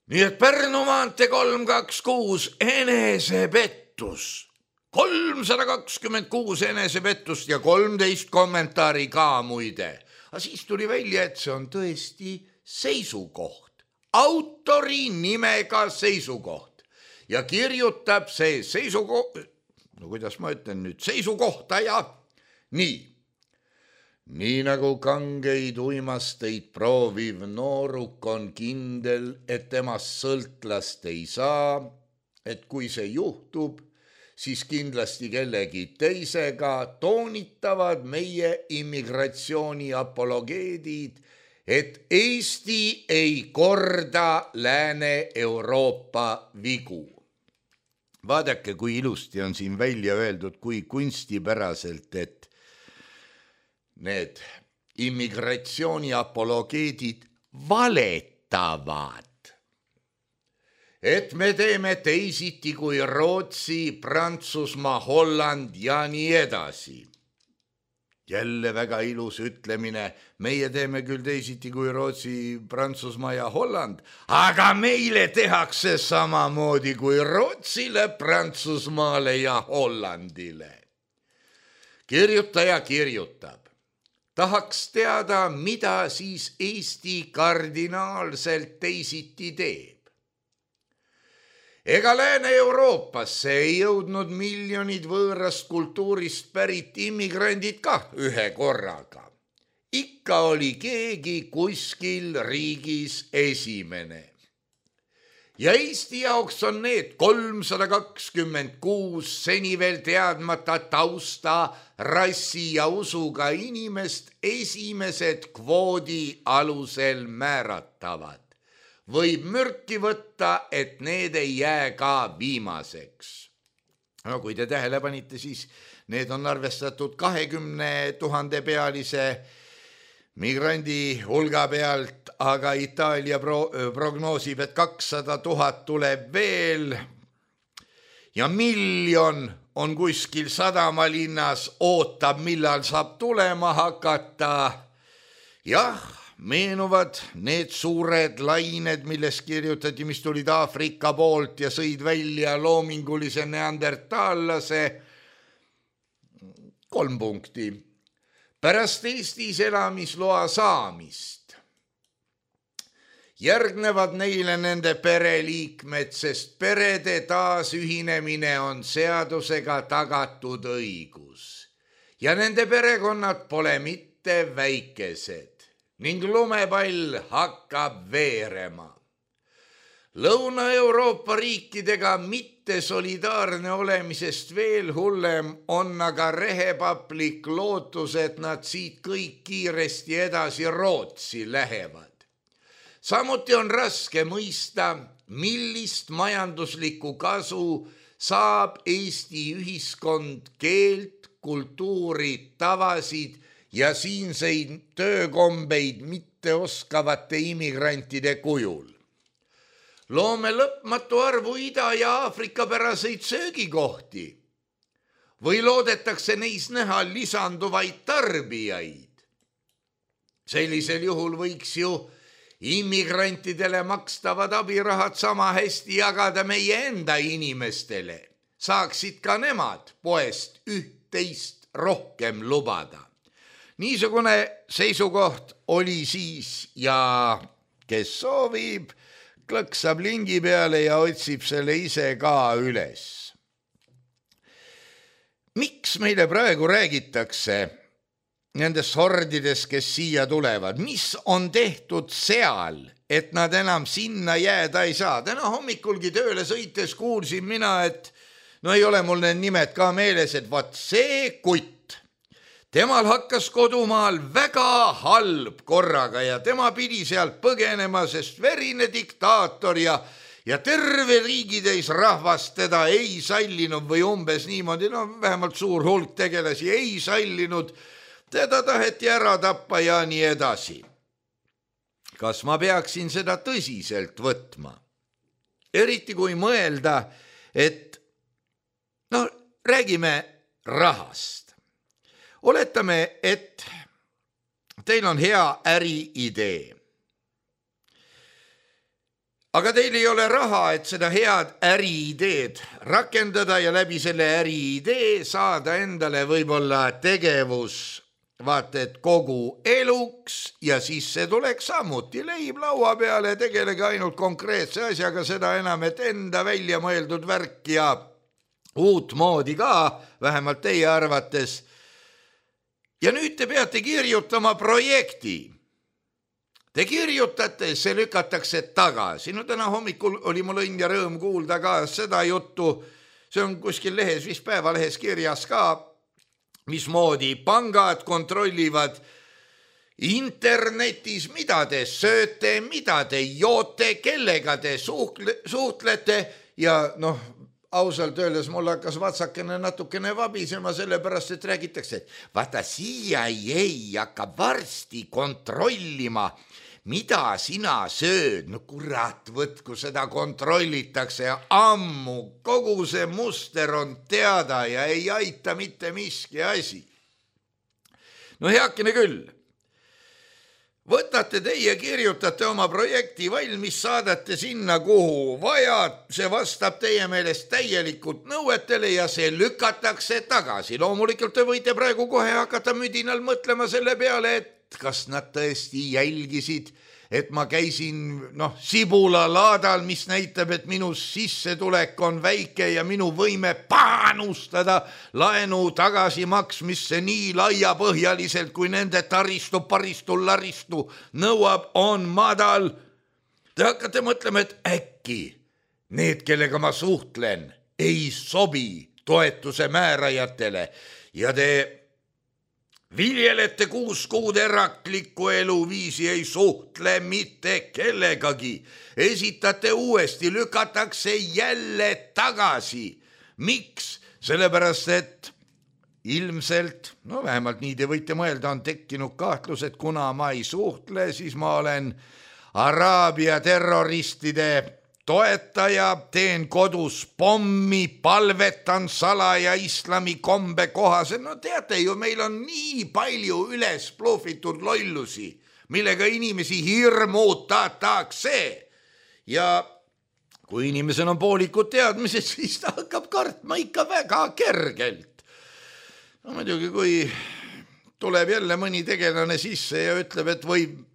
C: Nii et Pärnu maantee 326 enesepettus, 326 enesepettust ja 13 kommentaari ka muide. Aga siis tuli välja, et see on tõesti seisukoht, autori nimega seisukoht ja kirjutab see seisukoht, kuidas ma ütlen nüüd, seisukohtaja nii. Nii nagu kangeid uimasteid prooviv nooruk on kindel, et temast sõltlast ei saa, et kui see juhtub, siis kindlasti kellegi teisega toonitavad meie immigratsiooni apologeedid, et Eesti ei korda Lääne-Euroopa vigu. Vaadake, kui ilusti on siin välja öeldud, kui kunstipäraselt, et need immigratsiooni apologeedid valetavad, et me teeme teisiti kui Rootsi, Prantsusmaa, Holland ja nii edasi. Jälle väga ilus ütlemine, meie teeme küll teisiti kui Rootsi, Prantsusmaa ja Holland, aga meile tehakse samamoodi kui Rootsile, Prantsusmaale ja Hollandile. Kirjutaja kirjutab. Tahaks teada, mida siis Eesti kardinaalselt teisiti teeb. Ega Lääne-Euroopasse ei jõudnud miljonid võõrast kultuurist pärit immigrandid ka ühe korraga. Ikka oli keegi kuskil riigis esimene. Ja Eesti jaoks on need 326 seni veel teadmata tausta, rassi ja usuga inimest esimesed kvoodi alusel määratavad. Võib mürki võtta, et need ei jää ka viimaseks. No, kui te tähele panite, siis need on arvestatud 20 000 pealise migrandi hulga pealt, aga Itaalia prognoosib, et 200 000 tuleb veel ja 1 miljon on kuskil sadamalinnas, ootab, millal saab tulema hakata. Jah, meenuvad need suured lained, millest kirjutati, mis tulid Aafrika poolt ja sõid välja loomingulise neandertaallase. 3 punkti. Pärast Eestis elamisloa saamist järgnevad neile nende pereliikmed, sest perede taasühinemine on seadusega tagatud õigus. Ja nende perekonnad pole mitte väikesed ning lumepall hakkab veerema. Lõuna-Euroopa riikidega mitte solidaarne olemisest veel hullem on aga rehepaplik lootus, et nad siit kõik kiiresti edasi Rootsi lähevad. Samuti on raske mõista, millist majanduslikku kasu saab Eesti ühiskond keelt, kultuuri, tavasid ja siinseid töökombeid mitte oskavate immigrantide kujul. Loome lõpmatu arvu Ida- ja Aafrika päraseid söögikohti või loodetakse neis näha lisanduvaid tarbijaid. Sellisel juhul võiks ju immigrantidele makstavad abirahad sama hästi jagada meie enda inimestele. Saaksid ka nemad poest 1 rohkem lubada. Niisugune seisukoht oli siis ja kes soovib, klõksab lingi peale ja otsib selle ise ka üles. Miks meile praegu räägitakse nendest hordidest, kes siia tulevad? Mis on tehtud seal, et nad enam sinna jääda ei saa? Täna hommikulgi tööle sõites kuulsin mina, et ei ole mul need nimed ka meeles, et vaat see kutt, temal hakkas kodumaal väga halb korraga ja tema pidi sealt põgenema, sest verine diktaator ja terve riigitäis rahvast teda ei sallinud või umbes niimoodi, vähemalt suur hulk tegelasi ei sallinud, teda taheti ära tappa ja nii edasi. Kas ma peaksin seda tõsiselt võtma? Eriti kui mõelda, et räägime rahast. Oletame, et teil on hea äriidee. Aga teil ei ole raha, et seda head äriideed rakendada ja läbi selle äriidee saada endale võib-olla tegevus vaata, et kogu eluks ja siis see tuleks samuti leib laua peale, tegelege ainult konkreetse asjaga, seda enam, et enda välja mõeldud värk ja uut moodi ka, vähemalt teie arvates. Ja nüüd te peate kirjutama projekti. Te kirjutate, see lükatakse tagasi. Täna hommikul oli mul õnn ja rõõm kuulda ka seda juttu, see on kuskil lehes, vist Päevalehes kirjas ka, mismoodi pangad kontrollivad internetis, mida te sööte, mida te joote, kellega te suhtlete ja ausalt öeldes mul hakkas vatsakene natukene vabisema, sellepärast, et räägitakse, et vaata CIA hakkab varsti kontrollima, mida sina sööd. Kurat, võtku seda kontrollitakse ammu, kogu see muster on teada ja ei aita mitte miski asi. Heakene küll. Võtate teie, kirjutate oma projekti valmis, saadate sinna, kuhu vaja, see vastab teie meelest täielikult nõuetele ja see lükatakse tagasi. Loomulikult te võite praegu kohe hakata müdinal mõtlema selle peale, et kas nad tõesti jälgisid, et ma käisin sibulalaadal, mis näitab, et minu sissetulek on väike ja minu võime panustada laenu tagasimaksmisse nii laiapõhjaliselt, kui nende taristu, paristu, laristu nõuab, on madal. Te hakkate mõtlema, et äkki need, kellega ma suhtlen, ei sobi toetuse määrajatele ja te viljelete 6 kuud eraklikku eluviisi, ei suhtle mitte kellegagi. Esitate uuesti, lükatakse jälle tagasi. Miks? Sellepärast, et ilmselt, vähemalt nii te võite mõelda, on tekkinud kahtlus, et kuna ma ei suhtle, siis ma olen Araabia terroristide toetaja, teen kodus pommi, palvetan salaja islami kombe kohaselt. No teate ju, meil on nii palju üles ploofitud lollusi, millega inimesi hirmutatakse. Ja kui inimesel on poolikud teadmised, siis ta hakkab kartma ikka väga kergelt. No muidugi, kui tuleb jälle mõni tegelane sisse ja ütleb, et võib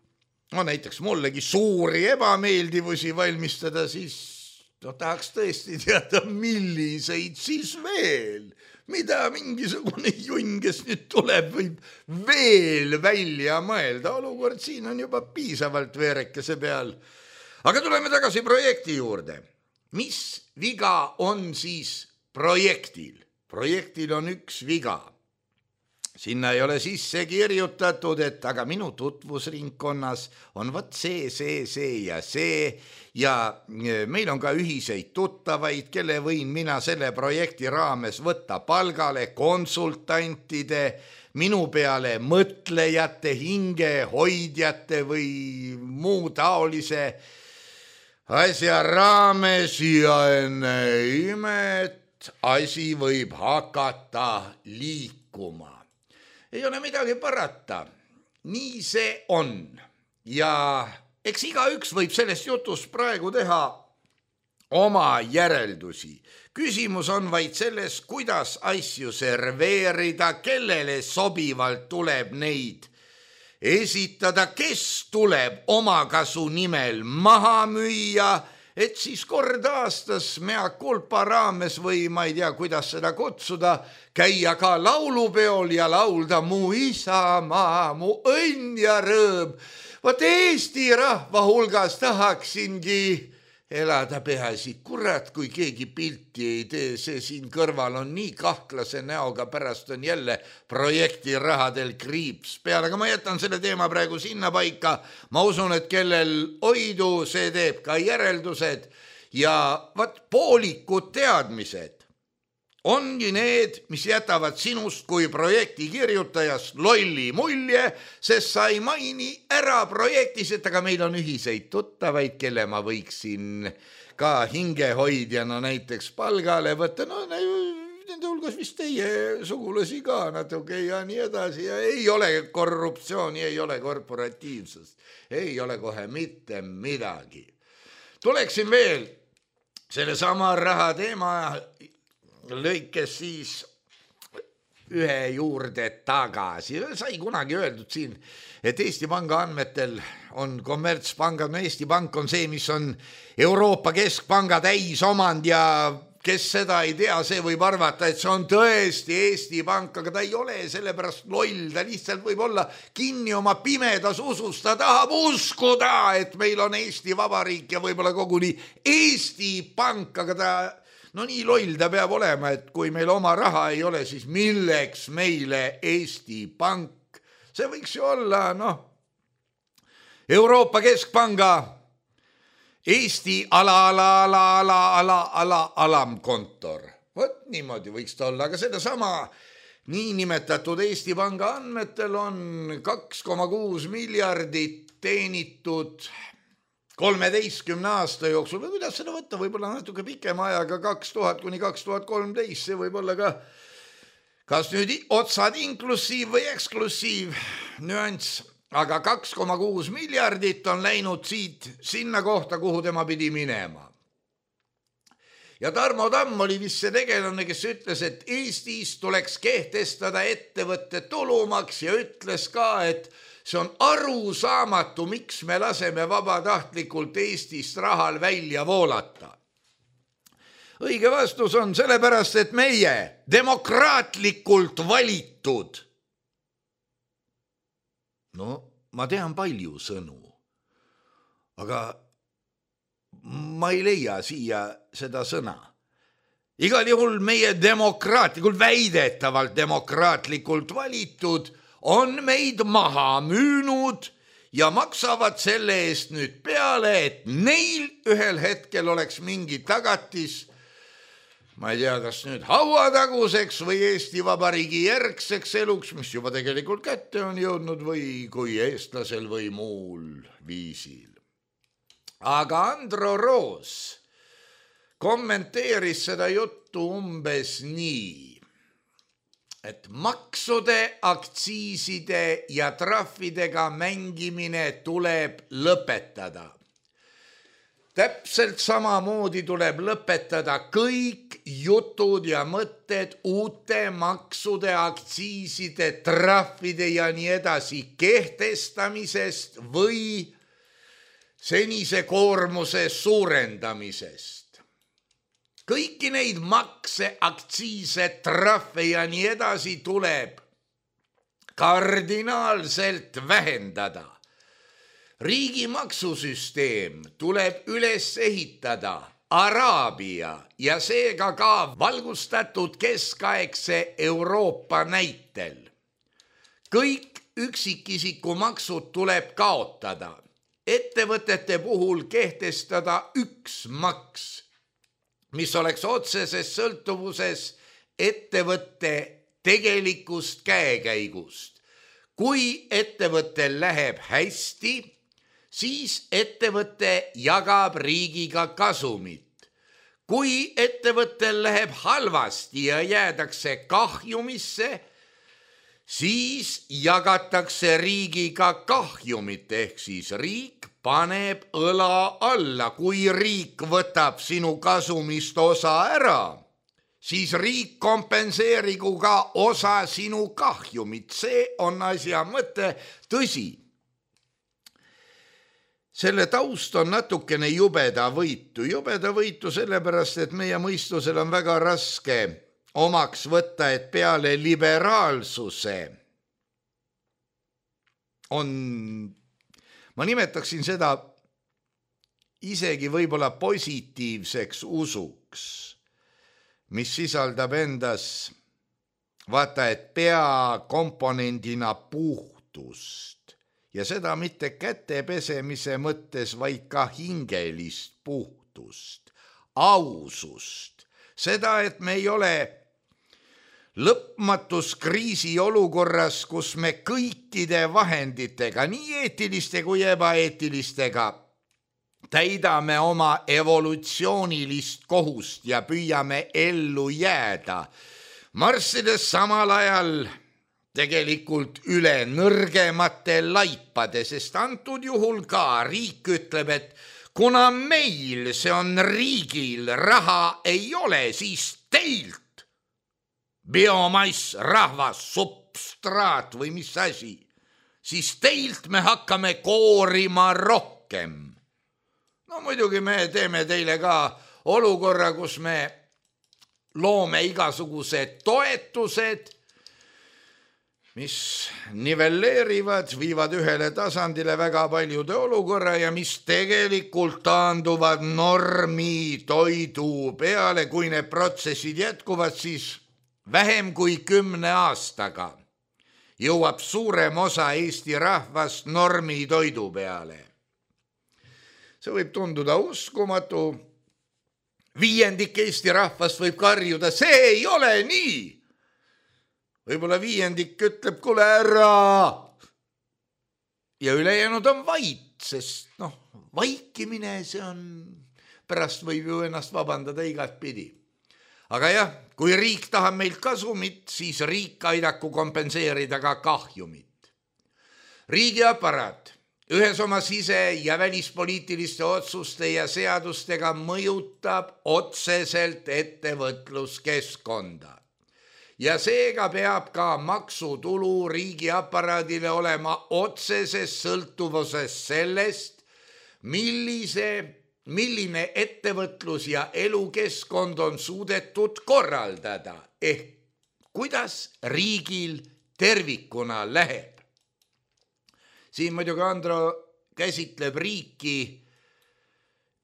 C: näiteks mullegi suuri ebameeldivusi valmistada, siis tahaks tõesti teada, milliseid siis veel. Mida mingisugune junn, kes nüüd tuleb, võib veel välja mõelda. Olukord siin on juba piisavalt veerekese peal. Aga tuleme tagasi projekti juurde. Mis viga on siis projektil? Projektil on üks viga. Sinna ei ole sisse kirjutatud, et aga minu tutvusringkonnas on võt see ja see ja meil on ka ühiseid tuttavaid, kelle võin mina selle projekti raames võtta palgale, konsultantide, minu peale mõtlejate, hingehoidjate või muu taolise asja raames ja enne imet asi võib hakata liikuma. Ei ole midagi parata. Nii see on. Ja eks igaüks võib sellest jutust praegu teha oma järeldusi. Küsimus on vaid selles, kuidas asju serveerida, kellele sobivalt tuleb neid esitada, kes tuleb omakasu nimel maha müüa, et siis kord aastas mea kulpa raames või ma ei tea, kuidas seda kutsuda, käia ka laulupeol ja laulda mu isamaa, mu õnn ja rõõm. Vot Eesti rahva hulgas tahaksingi elada peaasi. Kurat, kui keegi pilti ei tee, see siin kõrval on nii kahtlase näoga, pärast on jälle projekti rahadel kriips peal. Aga ma jätan selle teema praegu sinna paika. Ma usun, et kellel oidu, see teeb ka järeldused. Ja poolikud teadmised ongi need, mis jätavad sinust kui projekti kirjutajast lolli mulje, sest sa ei maini ära projektis, et aga meil on ühiseid tuttavaid, kelle ma võiksin ka hingehoidjana näiteks palgale võtta. No nende hulgas vist teie sugulasi ka natuke ja nii edasi. Ja ei ole korruptsiooni, ei ole korporatiivsust, ei ole kohe mitte midagi. Tuleksin veel selle sama raha teema lõikes siis ühe juurde tagasi. Sai kunagi öeldud siin, et Eesti Panga andmetel on kommertspangad, no Eesti Pank on see, mis on Euroopa Keskpanga täisomand ja kes seda ei tea, see võib arvata, et see on tõesti Eesti Pank, aga ta ei ole sellepärast loll, ta lihtsalt võib olla kinni oma pimedas usus, ta tahab uskuda, et meil on Eesti Vabariik ja võib-olla koguni Eesti Pank, aga ta no nii loll ta peab olema, et kui meil oma raha ei ole, siis milleks meile Eesti Pank? See võiks ju olla, Euroopa Keskpanga Eesti alamkontor. Vot niimoodi võiks ta olla, aga sedasama niinimetatud Eesti Panga andmetel on 2,6 miljardit teenitud 13 aasta jooksul, või kuidas seda võtta, võib-olla natuke pikema ajaga, 2000 kuni 2013, see võib olla ka kas nüüd otsad inklusiiv või eksklusiiv nüanss, aga 2,6 miljardit on läinud siit sinna kohta, kuhu tema pidi minema. Ja Tarmo Tamm oli vist see tegelane, kes ütles, et Eestis tuleks kehtestada ettevõtte tulumaks ja ütles ka, et see on arusaamatu, miks me laseme vabatahtlikult Eestist rahal välja voolata. Õige vastus on sellepärast, et meie demokraatlikult valitud. No, ma tean palju sõnu, aga ma ei leia siia seda sõna. Igal juhul meie demokraatlikult, väidetavalt demokraatlikult valitud on meid maha müünud ja maksavad selle eest nüüd peale, et neil ühel hetkel oleks mingi tagatis, ma ei tea, kas nüüd hauataguseks või Eesti Vabariigi järgseks eluks, mis juba tegelikult kätte on jõudnud või kui eestlasel või muul viisil. Aga Andro Roos kommenteeris seda juttu umbes nii, et maksude, aktsiiside ja trahvidega mängimine tuleb lõpetada. Täpselt samamoodi tuleb lõpetada kõik jutud ja mõtted uute maksude, aktsiiside, trahvide ja nii edasi kehtestamisest või senise koormuse suurendamisest. Kõiki neid makse, aktsiise, trahve ja nii edasi tuleb kardinaalselt vähendada. Riigi maksusüsteem tuleb üles ehitada Araabia ja seega ka valgustatud keskaegse Euroopa näitel. Kõik üksikisiku maksud tuleb kaotada. Ettevõtete puhul kehtestada üks maks, mis oleks otseses sõltuvuses ettevõtte tegelikust käekäigust. Kui ettevõttel läheb hästi, siis ettevõte jagab riigiga kasumit. Kui ettevõttel läheb halvasti ja jäädakse kahjumisse, siis jagatakse riigiga kahjumit, ehk siis riik paneb õla alla. Kui riik võtab sinu kasumist osa ära, siis riik kompenseerigu ka osa sinu kahjumit. See on asja mõte, tõsi. Selle taust on natukene jubedavõitu sellepärast, et meie mõistusel on väga raske omaks võtta, et peale liberaalsuse on, ma nimetaksin seda isegi võib-olla positiivseks usuks, mis sisaldab endas, vaata, et peakomponendina puhtust. Ja seda mitte kätepesemise mõttes, vaid ka hingelist puhtust, ausust. Seda, et me ei ole lõpmatus kriisiolukorras, kus me kõikide vahenditega, nii eetiliste kui ebaeetilistega, täidame oma evolutsioonilist kohust ja püüame ellu jääda, marssides samal ajal tegelikult üle nõrgemate laipade, sest antud juhul ka riik ütleb, et kuna meil, see on riigil, raha ei ole, siis teilt biomass, rahvas, substraat või mis asi, siis teilt me hakkame koorima rohkem. No muidugi me teeme teile ka olukorra, kus me loome igasugused toetused, mis nivelleerivad, viivad ühele tasandile väga paljude olukorra ja mis tegelikult taanduvad normi toidu peale. Kui need protsessid jätkuvad, siis vähem kui 10 aastaga jõuab suurem osa Eesti rahvast normi toidu peale. See võib tunduda uskumatu. 1/5 Eesti rahvast võib karjuda, see ei ole nii. Võib-olla 1/5 ütleb, kuule ära. Ja ülejäänud on vait, sest vaikimine, see on, pärast võib ju ennast vabandada igat pidi. Aga jah, kui riik tahab meilt kasumit, siis riik aidaku kompenseerida ka kahjumit. Riigiaparaat ühes oma sise- ja välispoliitiliste otsuste ja seadustega mõjutab otseselt ettevõtluskeskkonda. Ja seega peab ka maksutulu riigiaparaadile olema otseses sõltuvuses sellest, milline ettevõtlus ja elukeskkond on suudetud korraldada, ehk kuidas riigil tervikuna läheb. Siin muidugi Andro käsitleb riiki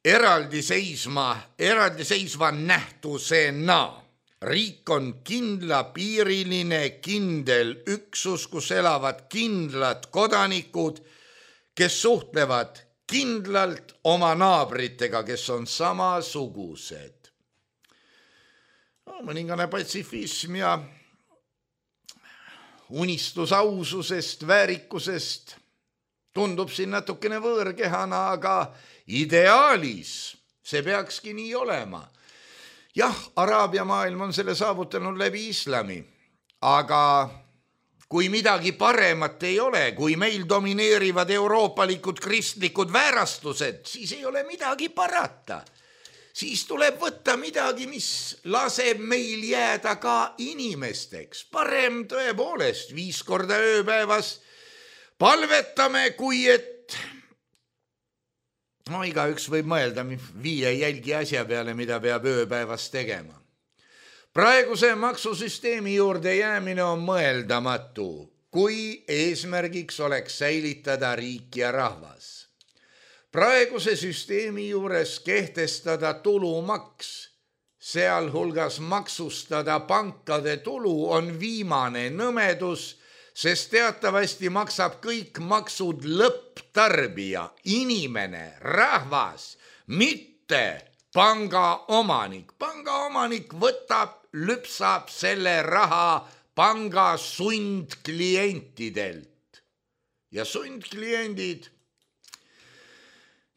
C: eraldiseisva nähtusena. Riik on kindlapiiriline, kindel üksus, kus elavad kindlad kodanikud, kes suhtlevad kindlalt oma naabritega, kes on samasugused. Mõningane patsifism ja unistus aususest, väärikusest tundub siin natukene võõrkehana, aga ideaalis see peakski nii olema. Jah, Araabia maailm on selle saavutanud läbi islami, aga kui midagi paremat ei ole, kui meil domineerivad euroopalikud kristlikud väärastused, siis ei ole midagi parata. Siis tuleb võtta midagi, mis laseb meil jääda ka inimesteks. Parem tõepoolest 5 korda ööpäevas palvetame, kui et igaüks võib mõelda 5 jälgi asja peale, mida peab ööpäevas tegema. Praeguse maksusüsteemi juurde jäämine on mõeldamatu, kui eesmärgiks oleks säilitada riik ja rahvas. Praeguse süsteemi juures kehtestada tulumaks, sealhulgas maksustada pankade tulu on viimane nõmedus, sest teatavasti maksab kõik maksud lõpptarbija, inimene, rahvas, mitte panga omanik. Panga omanik lüpsab selle raha panga sundklientidelt. Ja sundkliendid,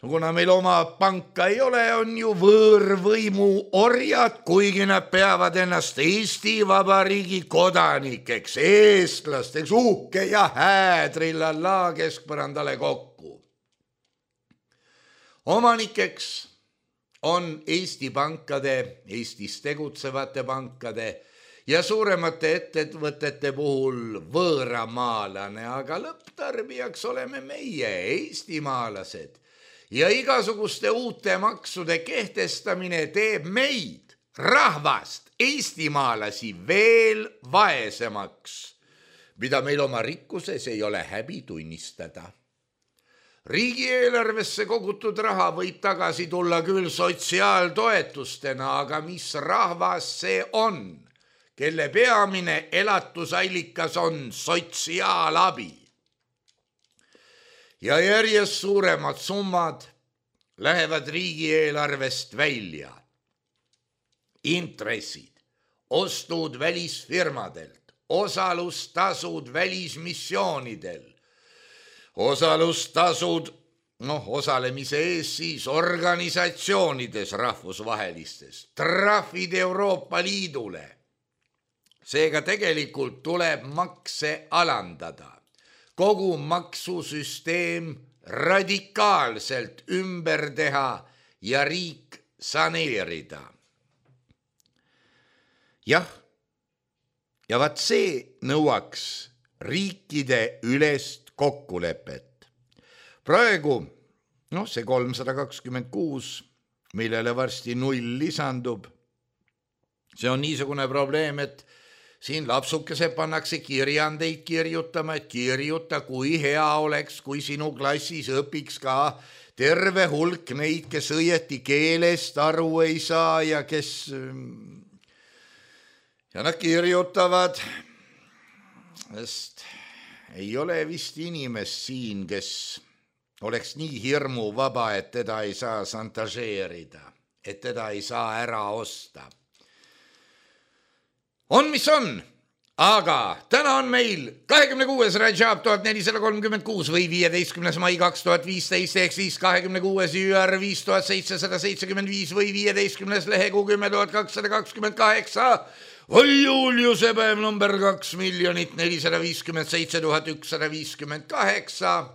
C: kuna meil oma panka ei ole, on ju võõrvõimu orjad, kuigi nad peavad ennast Eesti Vabariigi kodanikeks, eestlasteks, uhke ja häädrillallaa keskpõrandale kokku. Omanikeks on Eesti pankade, Eestis tegutsevate pankade ja suuremate ettevõtete puhul võõramaalane, aga lõpptarbijaks oleme meie, eestimaalased. Ja igasuguste uute maksude kehtestamine teeb meid, rahvast, eestimaalasi veel vaesemaks, mida meil oma rikkuses ei ole häbi tunnistada. Riigieelarvesse kogutud raha võib tagasi tulla küll sotsiaaltoetustena, aga mis rahvas see on, kelle peamine elatusallikas on sotsiaalabi? Ja järjest suuremad summad lähevad riigieelarvest välja. Intressid, ostud välisfirmadelt, osalustasud välismissioonidel, osalustasud, osalemise ees siis organisatsioonides rahvusvahelistes, trahvid Euroopa Liidule. Seega tegelikult tuleb makse alandada. Kogu maksusüsteem radikaalselt ümber teha ja riik saneerida. Jah, ja vaat see nõuaks riikide ülest kokkulepet. Praegu, see 326, millele varsti 0 lisandub, see on niisugune probleem, et siin lapsukesed pannakse kirjandeid kirjutama, et kirjuta, kui hea oleks, kui sinu klassis õpiks ka terve hulk neid, kes õieti keelest aru ei saa ja kes... Ja nad kirjutavad, sest ei ole vist inimest siin, kes oleks nii hirmu vaba, et teda ei saa šantažeerida, et teda ei saa ära osta. On, mis on, aga täna on meil 26. Rajab 1436 või 15. mai 2015 ehk siis 26. jüär 5775 või 15. lehekuu 10,228 või Juliuse päev number 2 457 158.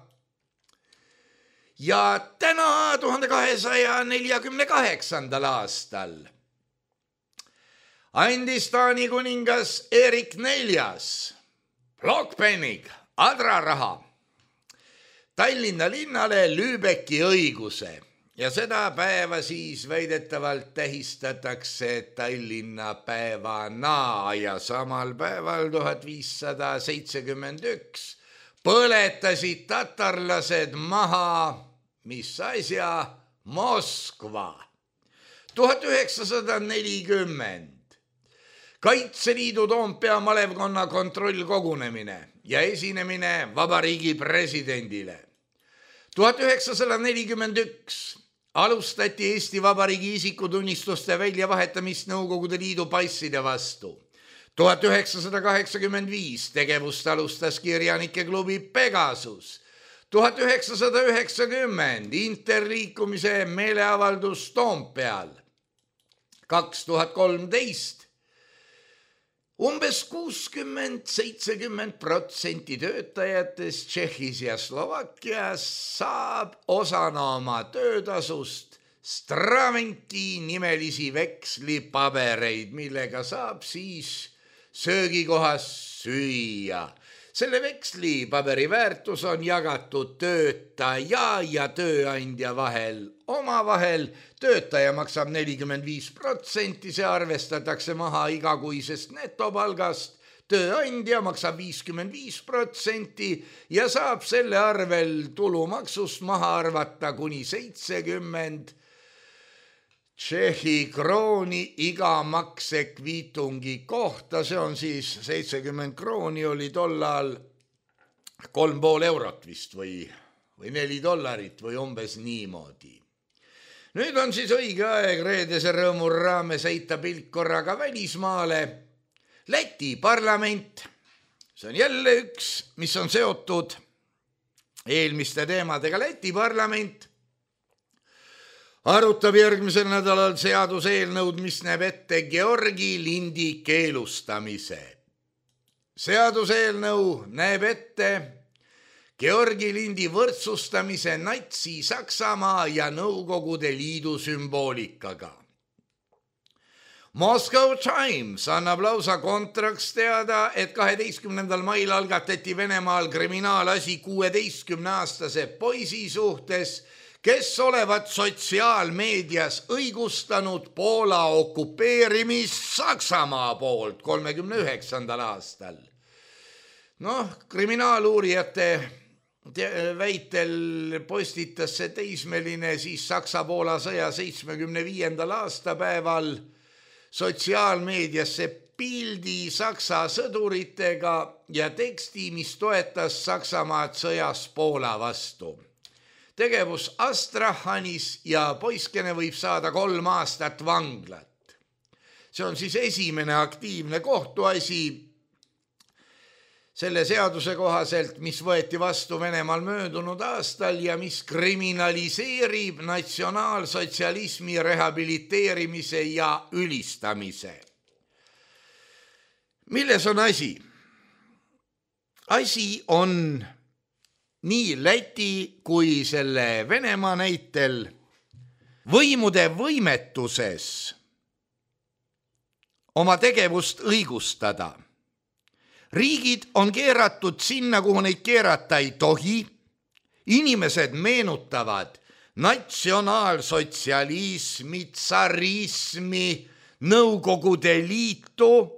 C: Ja täna 1248. aastal andis Taani kuningas Erik IV Blockpennig adraraha Tallinna linnale Lübecki õiguse ja seda päeva siis väidetavalt tähistatakse Tallinna päevana ja samal päeval 1571 põletasid tatarlased maha, mis asja, Moskva. 1940 Kaitseliidu Toompea malevkonna kontrollkogunemine ja esinemine vabariigi presidendile. 1941 alustati Eesti Vabariigi isikutunnistuste väljavahetamist Nõukogude Liidu passide vastu. 1985 tegevust alustas kirjanike klubi Pegasus. 1990 interliikumise meeleavaldus Toompeal. 2013 umbes 60-70% töötajatest Tšehhis ja Slovakkias saab osana oma töötasust Stravinki nimelisi vekslipabereid, millega saab siis söögikohas süüa. Selle vekslipaberi väärtus on jagatud töötaja ja tööandja vahel omavahel. Töötaja maksab 45%, see arvestatakse maha igakuisest netopalgast. Tööandja maksab 55% ja saab selle arvel tulumaksust maha arvata kuni 70 Tšehhi krooni iga maksekviitungi kohta, see on siis 70 krooni oli tollal 3,5 eurot vist või $4 või umbes niimoodi. Nüüd on siis õige aeg reedese rõõmu raames heita pilk korraga välismaale. Läti parlament, see on jälle üks, mis on seotud eelmiste teemadega. Läti parlament arutab järgmisel nädalal seaduseelnõud, mis näeb ette Georgi lindi keelustamise. Seaduseelnõu näeb ette Georgi lindi võrdsustamise natsi Saksamaa ja Nõukogude Liidu sümboolikaga. Moscow Times annab lausa kontraks teada, et 12. mail algatati Venemaal kriminaalasi 16-aastase poisi suhtes, kes olevat sotsiaalmeedias õigustanud Poola okupeerimist Saksamaa poolt 39. aastal. Kriminaaluurijate väitel postitas see teismeline siis Saksa-Poola sõja 75. aastapäeval sotsiaalmeediasse pildi Saksa sõduritega ja teksti, mis toetas Saksamaad sõjas Poola vastu. Tegevus Astrahanis ja poiskene võib saada 3 aastat vanglat. See on siis esimene aktiivne kohtuasi selle seaduse kohaselt, mis võeti vastu Venemaal möödunud aastal ja mis kriminaliseerib natsionaalsotsialismi rehabiliteerimise ja ülistamise. Milles on asi? Asi on nii Läti kui selle Venemaa näitel võimude võimetuses oma tegevust õigustada. Riigid on keeratud sinna, kuhu neid keerata ei tohi. Inimesed meenutavad natsionaalsotsialismi, tsarismi, Nõukogude Liitu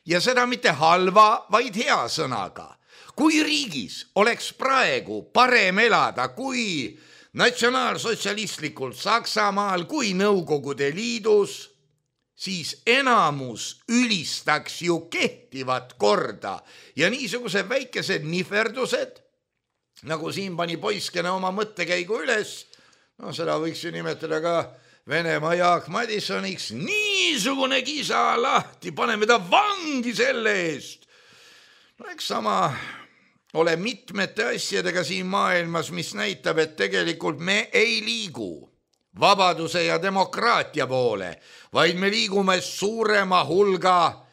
C: ja seda mitte halva, vaid hea sõnaga. Kui riigis oleks praegu parem elada kui natsionaalsotsialistlikul Saksamaal, kui Nõukogude Liidus, siis enamus ülistaks ju kehtivat korda ja niisugused väikesed nihverdused, nagu siin pani poiskene oma mõttekäigu üles, seda võiks ju nimetada ka Venemaa Jaak Madisoniks, niisugune kisa lahti, paneme ta vangi selle eest. Eks sama ole mitmete asjadega siin maailmas, mis näitab, et tegelikult me ei liigu vabaduse ja demokraatia poole, vaid me liigume suurema hulga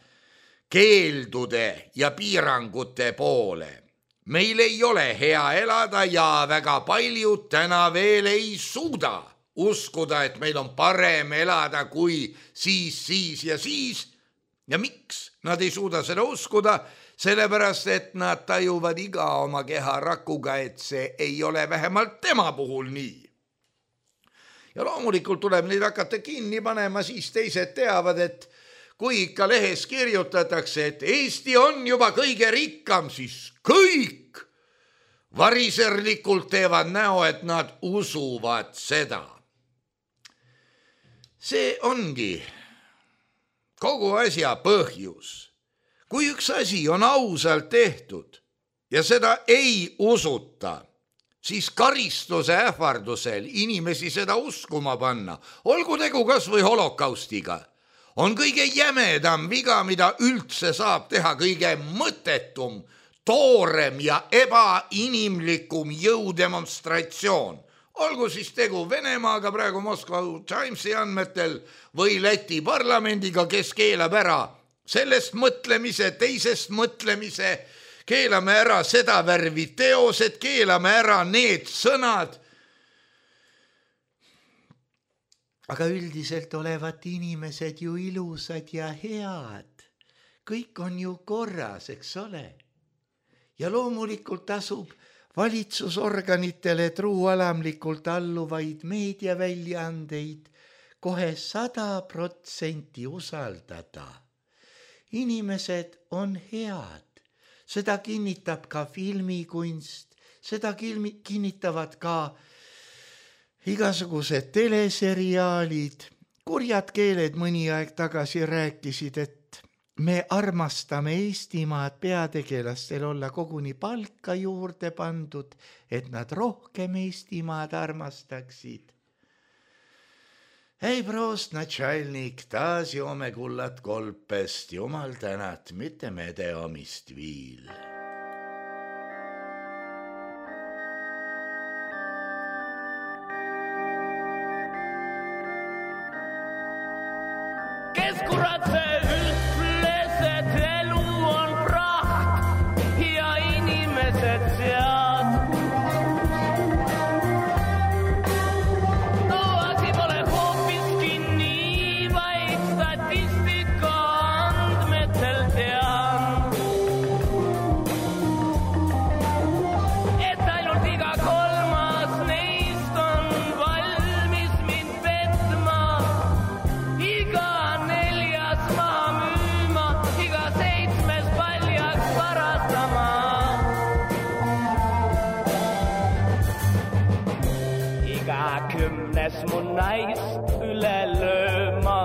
C: keeldude ja piirangute poole. Meil ei ole hea elada ja väga paljud täna veel ei suuda uskuda, et meil on parem elada kui siis ja siis. Ja miks nad ei suuda seda uskuda? Sellepärast, et nad tajuvad iga oma keha rakuga, et see ei ole vähemalt tema puhul nii. Ja loomulikult tuleb neid hakata kinni panema, siis teised teavad, et kui ikka lehes kirjutatakse, et Eesti on juba kõige rikkam, siis kõik variserlikult teevad näo, et nad usuvad seda. See ongi kogu asja põhjus. Kui üks asi on ausalt tehtud ja seda ei usuta, siis karistuse ähvardusel inimesi seda uskuma panna, olgu tegu kas või holokaustiga, on kõige jämedam viga, mida üldse saab teha, kõige mõttetum, toorem ja ebainimlikum jõudemonstratsioon. Olgu siis tegu Venemaaga praegu Moskva Timesi andmetel või Läti parlamendiga, kes keelab ära sellest mõtlemise, teisest mõtlemise, keelame ära seda värvi teosed, keelame ära need sõnad. Aga üldiselt olevat inimesed ju ilusad ja head. Kõik on ju korras, eks ole? Ja loomulikult tasub valitsusorganitele truualamlikult alluvaid meediaväljaandeid kohe 100% usaldada. Inimesed on head. Seda kinnitab ka filmikunst, seda kinnitavad ka igasugused teleseriaalid. Kurjad keeled mõni aeg tagasi rääkisid, et me armastame Eestimaad, peategelastel olla koguni palka juurde pandud, et nad rohkem Eestimaad armastaksid. Ei prost, natšalnik, taas joome kullad kolpest, jumal tänat, mitte mede omist viil.
E: Kes kurat see ütles, et elu on praht ja inimesed sead? No asi pole hoopiski nii, vaid statistika andmetel tean, et ainult iga kolmas neist on valmis mind petma, iga kümnes mun naist üle lööma,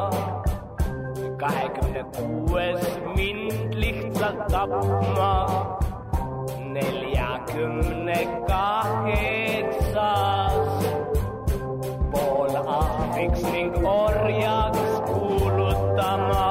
E: 26 mind lihtsalt tapma, 48 pool ahviks ning orjaks kuulutama.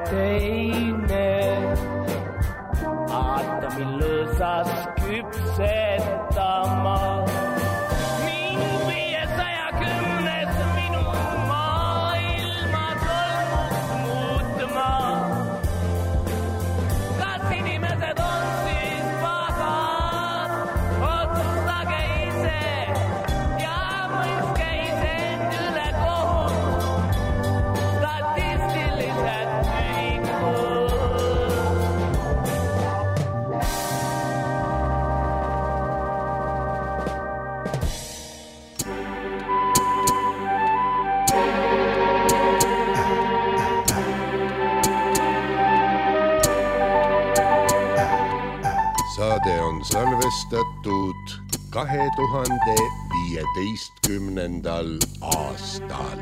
E: Teine aatomi lõõsas küpsetama. Mind 510 minu maailma tolmuks muutma. Kas inimesed on siis pahad? Otsustage ise ja mõistke isend üle kohut. Statistilised
F: Saade on salvestatud 2015. aastal.